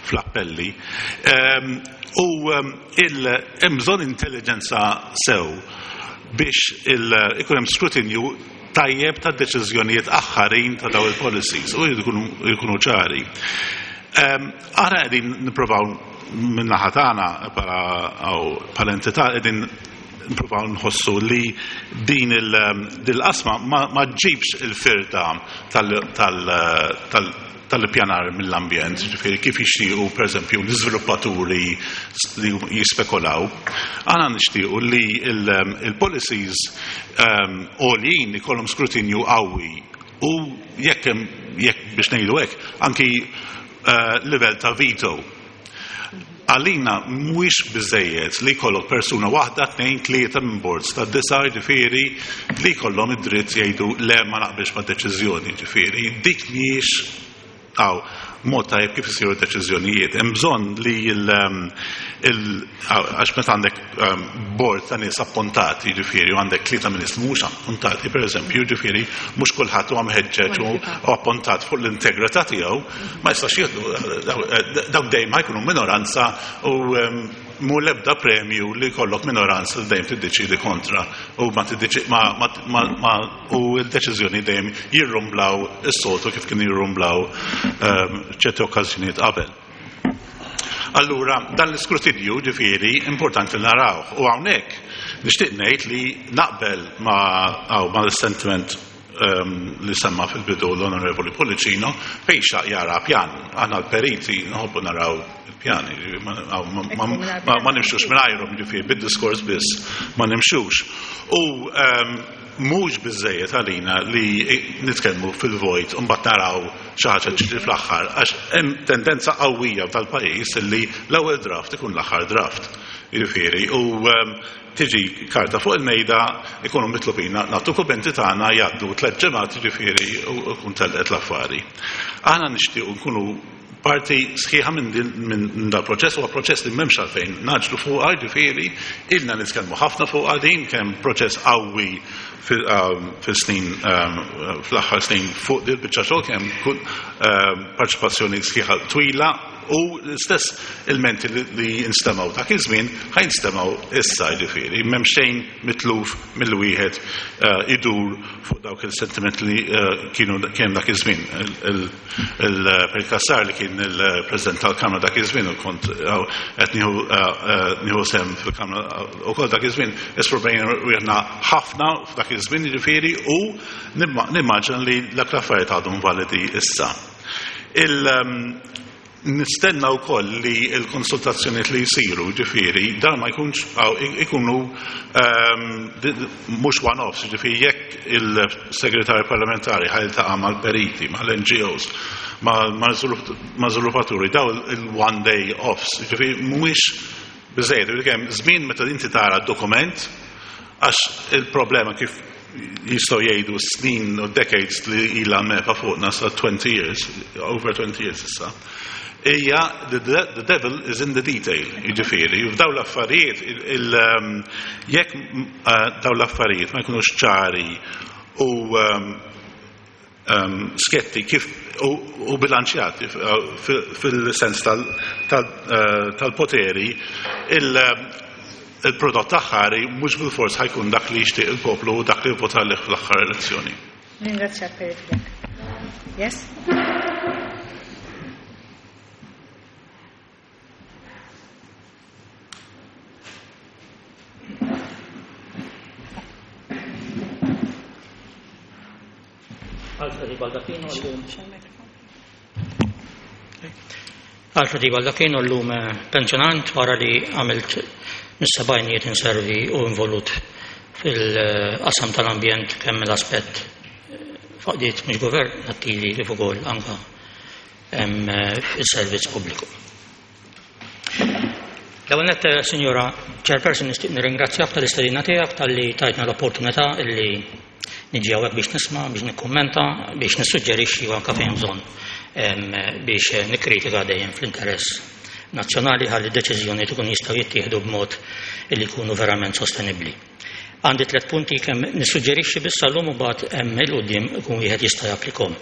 fl-appelli. U hemm bżonn intelligenza sew biex ikun hemm skrutinju tajjeb ta' deċiżjonijiet aħħarin ta' daw il-policies u jkunu ċari. Aħna qegħdin nippruvaw min-naħa tagħna bħala entità qegħdin nipprovaw nħossu li din il-qasma ma ġġibx il-firda tal-ippjanar mill-ambjent, ġifieri kif jixtiequ pereżempju l-iżviluppaturi li jispekulaw. Aħna nixtiequ li il-policies għoljin ikollhom skrutinju qawwi u jekk jekk biex ngħidu hekk anki livell ta' veto. Għalina mhuwiex biżejjed li jkollok persuna waħda, tnejn, tlieta minn boards ta' disa, ġifieri li jkollhom id-dritt jgħidu le ma naqbilx ma' deċiżjoni, ġifieri dik mhijiex għaw mod tajjeb kif isiru deċiżjonijiet. Hemm bżonn li għax meta għandek board ta' nies appuntati, ġifieri, u għandek tlieta minn nies mhux appuntati, pereżempju, ġifieri, mhux kulħadd huwa mħeġġeġ u appuntat fuq l-integrità tiegħu, ma jistax jieħdu dawk dejjem ħajkunu minoranza u mu l-ebda premju li jkollok minoranza li dejjem tiddeċidi kontra u ma ma u l-deċiżjoni dejjem jirrumblaw is-soltu kif kienu jirrumblaw ċerti okkażjonijiet qabel. Allura, dan l-iskrutinju ġifieri importanti li narawh u hawnhekk nixtieq ngħid li naqbel ma' l-sentiment li semma fil-bidu l-Onorevoli Pullicino fejn xaq jara pjan. Aħna l-periti nħobbu naraw il-pjani, ma nimxux mingħajrhom, ġifieri bid-diskors biss ma nimxux. U mhux biżejjed għalina li nitkellmu fil-vojt u mbagħad naraw xi ħaġa ġiġri fl-aħħar, għax hemm tendenza qawwija tal-pajjiż li l-ewwel draft ikun l-aħħar draft. Jiġifieri, u tiġi karta fuq il-mejda ikunu mitlubin nagħtu kummenti tagħna jgħaddu tliet ġimgħat, jiġifieri u jkun telqet l-affari. Aħna nixtiequ nkunu parti sħiħa minn dal-proċess, huwa proċess li m'hemmx għalfejn naġlu fuqha, jiġifieri ilna nitkellmu ħafna fuqha din, kemm proċess qawwi fil-snin fl-aħħar snin fuq din biċċa xogħol, kemm parċipazzjoni sħiħa twila u l-istess ilmenti li nstemaw dak iż-żmien ħajnstemaw issa, jiġifieri m'hemm xejn mitluf mill-wieħed idur fuq dawk il-sentiment li kienu kemm dak iż-żmien. Il-Perit Cassar li kien il-President tal-Kamra dak iż-żmien u kont qed nieħu sehem fil-Kamra wkoll dak iż-żmien, espromejna wieħna ħafna f'dak iż-żmien, jiġifieri, u nimmaġina li dak l-affarijiet għadhom validi issa. Nistenna wkoll li l-konsultazzjonijiet li jsiru, ġifieri, dan ma jkunx ikunu mhux one-offs, ġifieri jekk il-segretarju parlamentari ħajltaqa' mal-periti, mal-N G Os, mal-żviluppaturi, daw il-one day offs, ġifieri mhuwiex biżejjed, kemm żmien meta inti tara d-dokument, għax il-problema kif jistgħu jgħidu snin u decades li ilha mepa fuqna sa twenty years, over twenty years issa. Ija, the devil is in the detail, jiġifieri, f'daw l-affarijiet, jekk daw l-affarijiet ma jkunux ċari u sketti kif u bilanċjati fil-sens tal-poteri, il-prodott aħħari mhux bil-fors ħajkun dak li jixtieq il-poplu u dak li vvota lih fl-aħħar elezzjoni. Ringrazzjak Perit Grech. Yes? Alfred Baldacchino llum. Alfred Baldacchino llum pensjonant wara li għamilt mis-sebgħinijiet inservi u involut fil-qasam tal-ambjent kemm l-aspett faqdiet mhux governattivi kif ukoll anke fis-servizz pubbliku. L-ewwel nett, Sinjora Chairperson, nixtieq nirringrazzjak tal-istedina tiegħek talli tajtna l-opportunità illi niġi hawnhekk biex nisma', biex nikkummenta, biex nissuġġerixxi u anke fejn bżonn biex nikkritika dejjem fl-interess nazzjonali ħalli d-deċiżjonijiet ikun jistgħu jittieħdu b'mod illi jkunu verament sostenibbli. Għandi tliet punti kemm nissuġġerixxi biss llum u mbagħad hemm il quddiem ikun wieħed jista' japplikhom.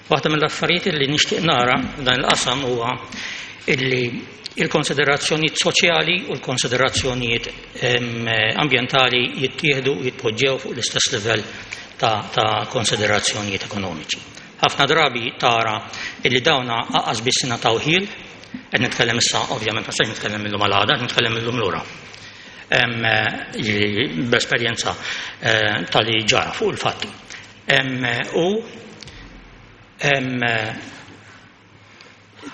Waħda mill-affarijiet illi nixtieq nara f'dan il-qasam huwa illi il-konsiderazzjonijiet soċjali u l-konsiderazzjonijiet ambjentali jittieħdu u jitpoġġew fuq l-istess livell ta', ta konsiderazzjonijiet ekonomiċi. Ħafna drabi tara illi dawna aqas biss ingħataw ħil, qed nitkellem issa ovvjament ma sejn nitkellem illum għal għada, qed nitkellem illum lura. b'esperjenza tal-li ġara fuq il-fatti. U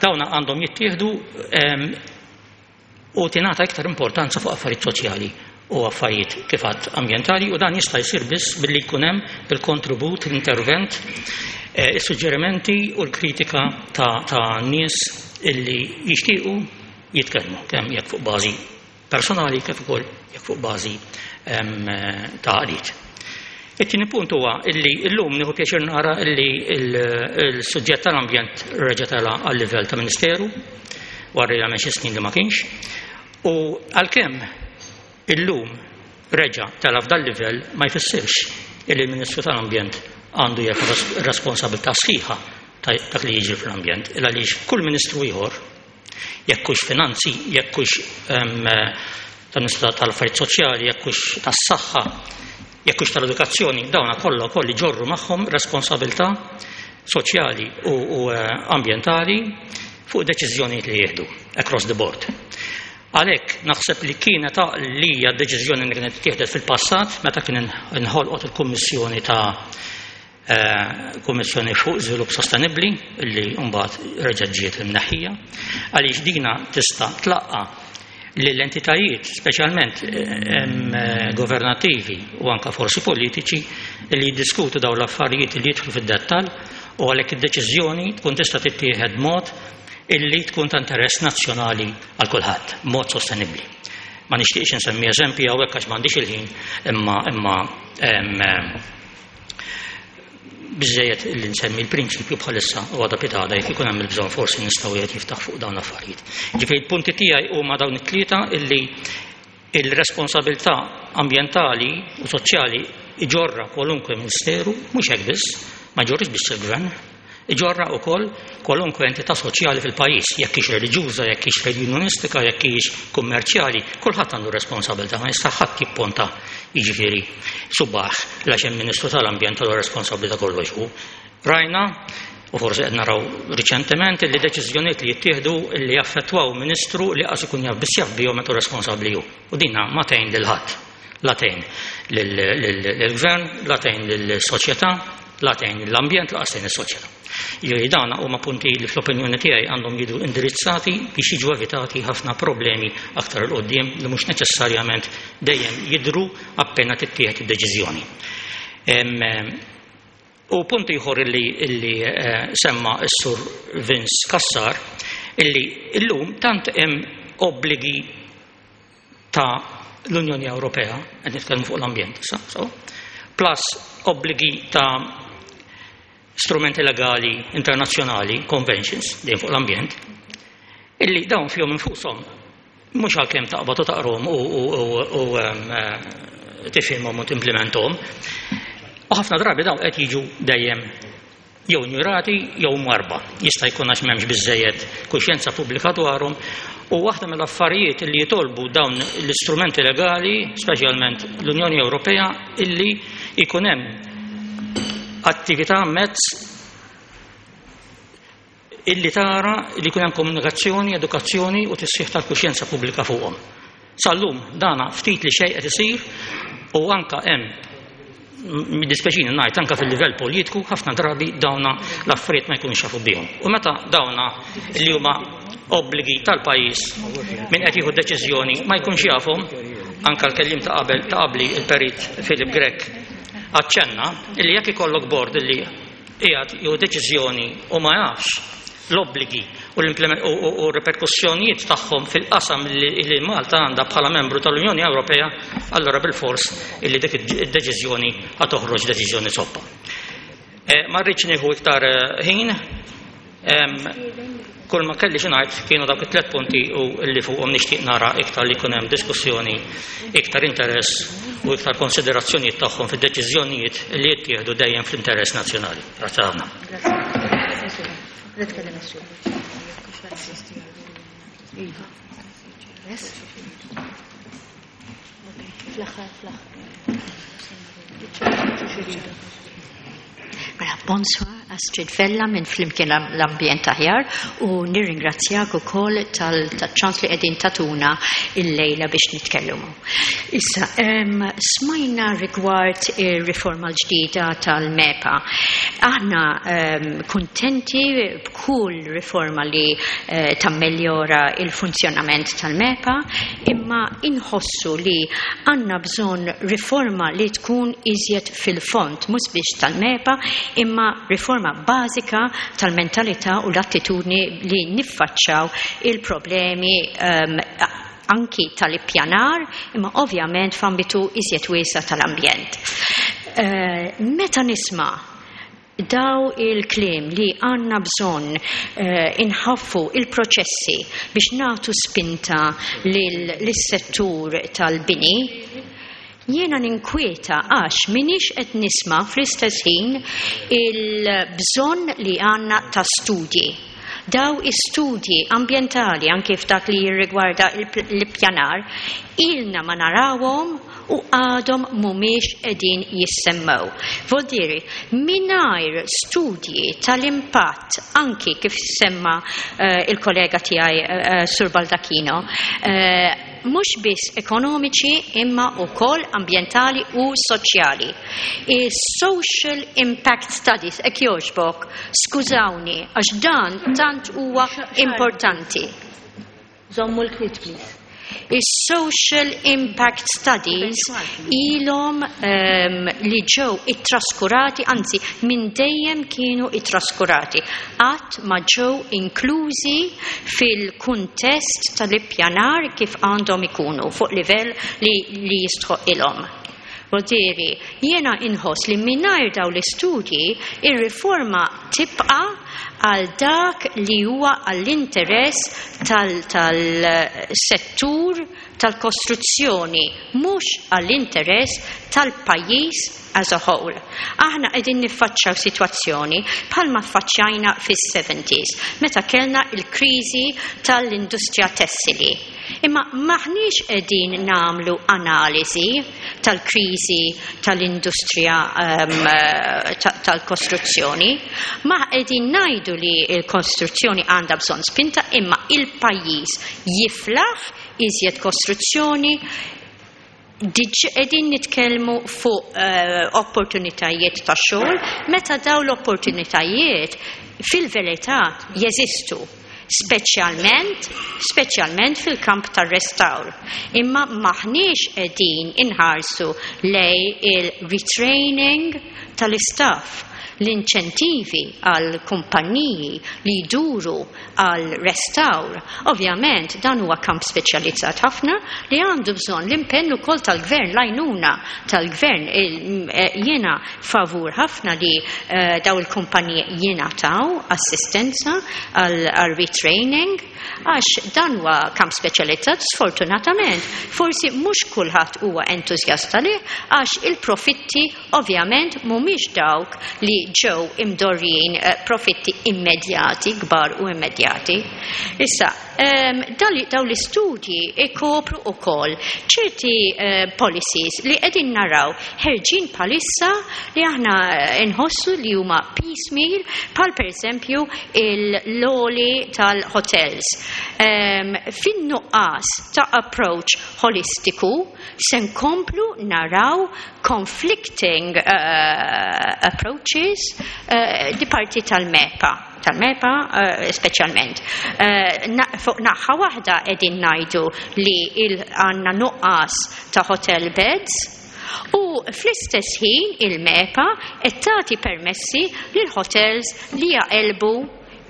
dawna għandhom jittieħdu u tingħata iktar importanza fuq affarijiet soċjali u affarijiet kif għadt ambjentali, u dan jista' jsir biss billi jkun hemm il-kontribut, l-intervent, is-suġġerimenti u l-kritika ta' nies illi jixtiequ jitkellmu, kemm jekk fuq bażi personali kif ukoll jekk fuq bażi ta' għaqdiet. It-tieni punt huwa illi llum nieħu pjaċir nara illi l-suġġett tal-ambjent reġa' tela' għal livell ta' Ministeru wara li għamel xi snin li ma kienx, u għalkemm illum reġa' tela' f'dal livell ma jfissirx illi l-Ministru tal-Ambjent għandu jerfa' responsabilità sħiħa ta' dak li jiġri fl-ambjent, illa għaliex kull ministru ieħor, jekk hux finanzi, jekk hux tal-Ministru tal-Affarijiet Soċjali, jekk hux tas-saħħa, jekk hux tal-edukazzjoni, dawna kollha wkoll iġorru magħhom responsabilità soċjali u ambjentali fuq deċiżjonijiet li jieħdu across the board. Għalhekk naħseb li kienet li hija deċiżjoni li kienet tieħdet fil-passat meta kien inħolqot il-Kummissjoni ta' Kummissjoni fuq Żvilupp Sostenibbli li mbagħad reġgħet ġiet imneħħija, għaliex dina tista' tlaqqa lill-entitajiet speċjalment governattivi u anka forsi politiċi li jiddiskutu dawn l-affarijiet li jidħlu fid-dettall, u għalhekk id-deċiżjoni tkun tista' tittieħed mod illi tkun ta' interess nazzjonali għal kulħadd, mod sostenibbli. Ma nixtieqx insemmi eżempji hawnhekk għax m'għandix il-ħin, imma imma biżejjed li nsemmi l-prinċipju bħalissa u għada pitada jekk ikun hemm il-bżonn forsi nistgħu wieħed jiftaħ fuq dawn l-affarijiet. Ġifieri l-punti tiegħi huma dawn it-tlieta illi il-responsabilità ambjentali u soċjali iġorra kwalunkwe ministeru, mhux hekk biss, ma jġorrix biss il-gvern, iġorra wkoll kwalunkwe entità soċjali fil-pajjiż, jekk hix reliġjuża, jekk hix unionistika, jekk hix kummerċjali, kulħadd għandu responsabilità, ma jista' ħadd jipponta jiġifieri subaħ għax hemm Ministru tal-Ambjent għandu responsabilità kollox hu. Rajna, u forsi qed naraw riċentement, li deċiżjonijiet li jittieħdu li jaffettwaw ministru li qas ikun jaf biss jaf bihom meta responsabbli hu. U dinha ma tgħin lil ħadd, la tgħin lill-gvern, la tgħin lill-soċjetà, la tgħin l-ambjent, la tgħin is-soċjetà. Jiġifieri dawn huma punti li fl-opinjoni tiegħi għandhom jiġu indirizzati biex jiġu evitati ħafna problemi aktar 'il quddiem li mhux neċessarjament dejjem jidhru appena tittieħed id-deċiżjoni. U punt ieħor illi, illi semma s-Sur Vince Cassar, illi illum tant hemm obbligi ta' l-Unjoni Ewropea, qed nitkellmu fuq l-ambjent issa, so, plus obbligi ta' strumenti legali internazzjonali, conventions, dejjem fuq l-ambjent, illi dawn fihom infushom mhux għalkemm taqbad u taqrom u, u, u, u tifhimhom u timplementhom. U ħafna drabi dawn qed jiġu dejjem jew injurati jew marba. Jista' jkun għax m'hemmx biżżejjed kuxjenza pubblika dwarhom, u waħda mill-affarijiet li jitolbu dawn l-istrumenti legali, speċjalment l-Unjoni Ewropea, illi jkun hemm attività mezz illi tara li jkun hemm komunikazzjoni, edukazzjoni u tisħiħ tal-kuxjenza pubblika fuqhom. Sal-lum dana ftit li xejn qed isir, u anka hemm middispeċini ngħid anka fil-livell politiku ħafna drabi dawna l-affarijiet ma jkunux jafu bihom. U meta dawna li huma obbligi tal-pajjiż min qed jieħu deċiżjoni ma jkunx jafhom, anka l-kellim ta' qabel ta' qabli il-perit Philip Grech aċċenna illi jekk ikollok bord illi qiegħed jieħu deċiżjoni u ma jafx l-obbligi u l reperkussjonijiet tagħhom fil-qasam li Malta għandha bħala membru tal-Unjoni Ewropea, allura bil-fors illi dik id-deċiżjoni ħa toħroġ deċiżjoni soppa. Ma rridx nieħu iktar ħin, kull ma kelli xi ngħid kienu dawk it-tliet punti u li fuqhom nixtieq nara iktar li jkun hemm diskussjoni, iktar interess u iktar konsiderazzjonijiet tagħhom fid-deċiżjonijiet li jittieħdu dejjem fl-interess nazzjonali. Grazzi ħafna. Mela, bonsoir, Astrid Vella minn Flimkien l-Ambjent Aħjar u nirringrazzjak ukoll tal-ċans li qegħdin tagħtuna il-lejla biex nitkellmu. Issa, em, smajna rigward ir-riforma l-ġdida tal-MEPA. Aħna em, kuntenti b'kull riforma li eh, tammeljora il-funzjonament tal-MEPA, imma inħossu li għandna bżonn riforma li tkun iżjed fil-fond, mhux biex tal-MEPA, imma riforma bażika tal-mentalità u l-attitudni li niffaċċaw il-problemi um, anki tal-ippjanar, imma ovvjament f'ambitu iżjed wiesa tal-ambjent. Uh, meta nisma' daw il-kliem li għandna bżonn uh, inħaffu il-proċessi biex nagħtu spinta lis-settur tal-bini, jiena ninkwieta għax minix qed nisma' fl-istess ħin il-bżonn li għandna ta' studji. Daw istudji ambjentali anke f'dak li jirrigwarda l-ippjanar ilna ma narawhom u għadhom mhumiex qegħdin jissemmew. Vuol mingħajr studji tal-impatt anki kif semma uh, il-kollega tiegħi uh, Sur Baldacchino, uh, mhux biss ekonomiċi imma wkoll ambjentali u soċjali. Is-social impact studies, hekk jogħġbok, skużawni, għax dan tant huwa importanti. Żommu l-kwiet, please. Is-social impact studies ilhom um, li ġew ittraskurati, anzi minn dejjem kienu ittraskurati. Qatt ma ġew inklużi fil-kuntest tal-ippjanar kif għandhom ikunu fuq livell li, li jistħoq ilhom. Vuol jiena inħoss li mingħajr daw l-istudji ir-riforma tibqa' għal dak li huwa għall-interess tal-settur tal-kostruzzjoni, mhux għall-interess tal-pajjiż as a whole. Aħna qegħdin niffaċċjaw sitwazzjoni bħalma ffaċċjajna fis-seventies meta kellna il-kriżi tal-industrija tessili. Imma maħniex qegħdin nagħmlu analiżi tal-kriżi tal-industrija um, tal-kostruzzjoni, ma qegħdin ngħidu li l-kostruzzjoni għandha bżonn spinta, imma il-pajjiż jiflaħ iżjed kostruzzjoni. Qegħdin nitkellmu fuq uh, opportunitajiet ta' xogħol, meta daw l-opportunitajiet fil-verità jeżistu, speċjalment speċjalment fil-kamp tar-restawr. Imma maħniex qegħdin inħarsu lej il-retraining tal-istaff, l-inċentivi għal kumpanniji li jduru għal restawr. Ovvjament dan huwa kamp speċjalizzat ħafna li għandu bżonn l-impenn ukoll tal-gvern, l-għajnuna tal-gvern. Jiena favur ħafna li uh, daw il-kumpaniji jingħataw assistenza għal retraining, għax dan huwa kamp speċjalizzat. Sfortunatament forsi mhux kulħadd huwa entużjasta li għax il-profitti ovvjament mhumiex dawk li ġew imdorrijin, profitti immedjati, kbar u immedjati. Issa, um, daw l-istudji ikopru ukoll ċerti uh, policies li qegħdin naraw ħerġin palissa li aħna nħossu li huma piecemeal, bħal pereżempju il-loli tal-hotels. Um, fin-nuqqas ta' approach holistiku se nkomplu naraw conflicting uh, approaches uh, di parti tal-MEPA, tal-MEPA uh, speċjalment. Uh, na, fuq naħa waħda qegħdin ngħidu li għandna nuqqas ta' hotel beds, u fl-istess ħin il-MEPA qed tagħti permessi lil hotels li jaqelbu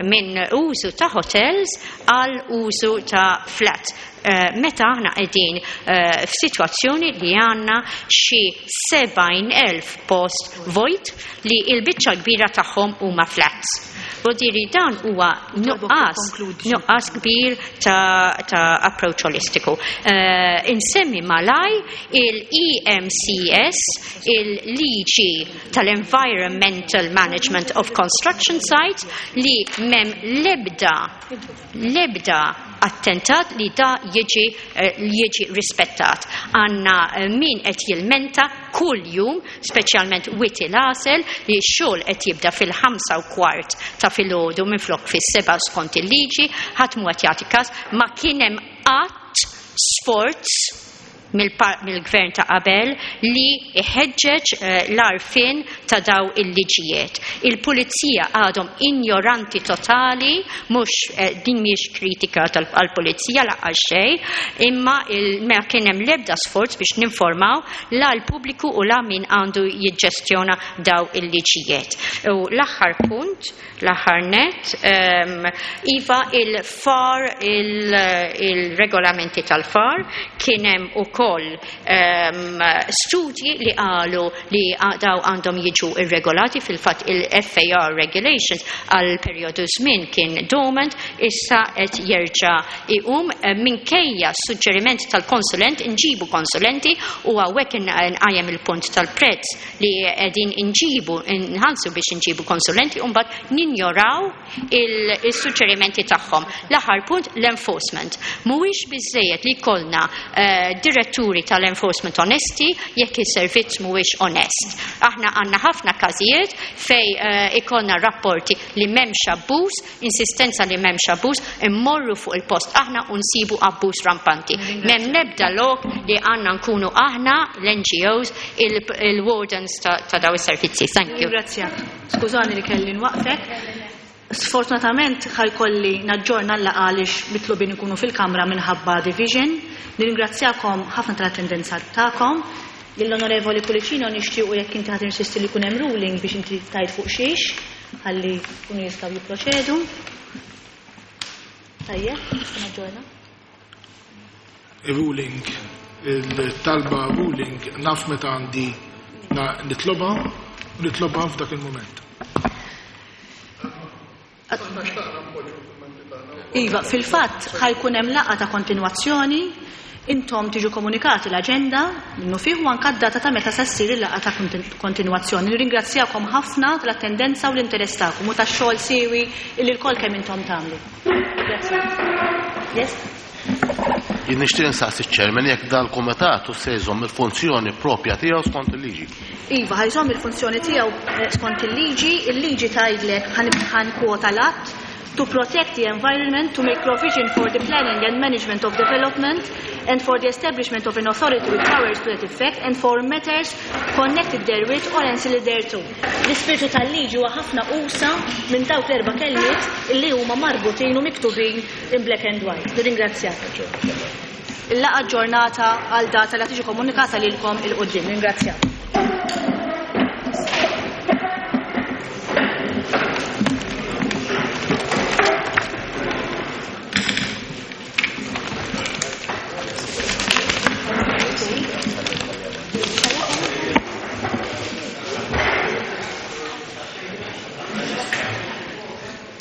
minn użu ta' hotels għal użu ta' flat. Uh, meta aħna qegħdin uh, f'sitwazzjoni li għandna xi sebgħin elf post vojt li l-biċċa kbira tagħhom huma flats. Vuol dan huwa nuqqas nuqqas kbir ta', ta approach holistiku. Uh, insemmi malaj il-E M C S, il-liġi tal-Environmental Management of Construction Sites, li mem lebda lebda attentat li da jiġi, jiġi rispettat. Għanna min qed jilmenta kull jum, speċjalment Wied il-Għasel, li x-xogħol qed jibda fil-ħamsa u kwart ta' filgħodu minflok fis-seba' skont il-liġi, ħadd mhu qed jagħti każ, ma kien hemm qatt sforz mill-gvern ta' qabel li iħeġġeġ l-għarfien ta' daw il-liġijiet. Il-pulizija għadhom ignoranti totali, mhux din mhijiex kritika tal-pulizija lanqas xejn, imma ma kien hemm l-ebda sforz biex ninformaw la l-pubbliku u la min għandu jiġġestjona daw il-liġijiet. U l-aħħar punt, l-aħħar net, iva il-F A R, il-regolamenti tal-F A R, kien hemm ukoll um, studji li qalu li daw għandhom jiġu irregolati. Fil-fatt il-F A R regulations għal periodu żmien kien dormant, issa qed jerġa' iqum minkejja suġġeriment tal-konsulent, nġibu konsulenti u hawnhekk nqajjem il-punt tal-prezz li qegħdin inġibu, nħallsu biex inġibu konsulenti u mbagħad ninjoraw il-suġġerimenti tagħhom. L-aħħar punt, l-enforcement. Mhuwiex biżejjed li jkollna uh, diretturi tal-enforcement onesti jekk is-servizz mhuwiex onest. Aħna għandna ħafna każijiet fej uh, ikollna rapporti li m'hemmx abbuż, insistenza li m'hemmx abbuż, immorru fuq il-post aħna u nsibu abbuż rampanti. M'hemm nebda lok li għandna nkunu aħna l-N G Os il-wardens ta', ta daw is-servizzi. Thank you. Ringrazzjak. Skużani li kelli nwaqfek. Sfortunatament ħa jkolli naġġorna l-laqgħa għaliex mitlubin ikunu fil-kamra minħabba division. Nirringrazzjakom ħafna tal-attendenza tagħkom. Lill-Onorevoli Pullicino nixtiequ jekk inti ħad insisti li jkun hemm ruling biex inti tajt fuq xiex, ħalli kunu jistgħu jipproċedu. Tajjeb, nista' naġġorna. Ruling, il-talba ruling naf meta għandi nitloba, nitloba f'dak il-moment. Iva, fil-fatt ħa jkun hemm laqgħa ta' kontinwazzjoni, intom tiġu komunikati l-aġenda, minnufih u anka d-data ta' meta se ssir il-laqgħa ta' kontinwazzjoni. Nirringrazzjakom ħafna tal-attendenza u l-interess tagħkom u tax-xogħol siewi illi lkoll kemm intom tagħmlu. Grazzi. Yes? Jien nixtieq insaqsi ċ-chairman jekk dal-kumitat se jżomm il-funzjoni propja tiegħu skont il-liġi. Iva, ħa jżomm il-funzjoni tiegħu skont il-liġi, il-liġi tgħidlek, ħa nikkwota l-att, to protect the environment, to make provision for the planning and management of development, and for the establishment of an authority with powers to that effect, and for matters connected therewith or ancillary thereto. L-ispirtu tal-liġi huwa ħafna usa minn dawk l-erba' kelmiet illi huma marbutin u miktubin in black and white. Nirringrazzjak. Il-laqgħa aġġornata għal data li tiġi komunikata lilkom 'il quddiem. Ringrazzjak.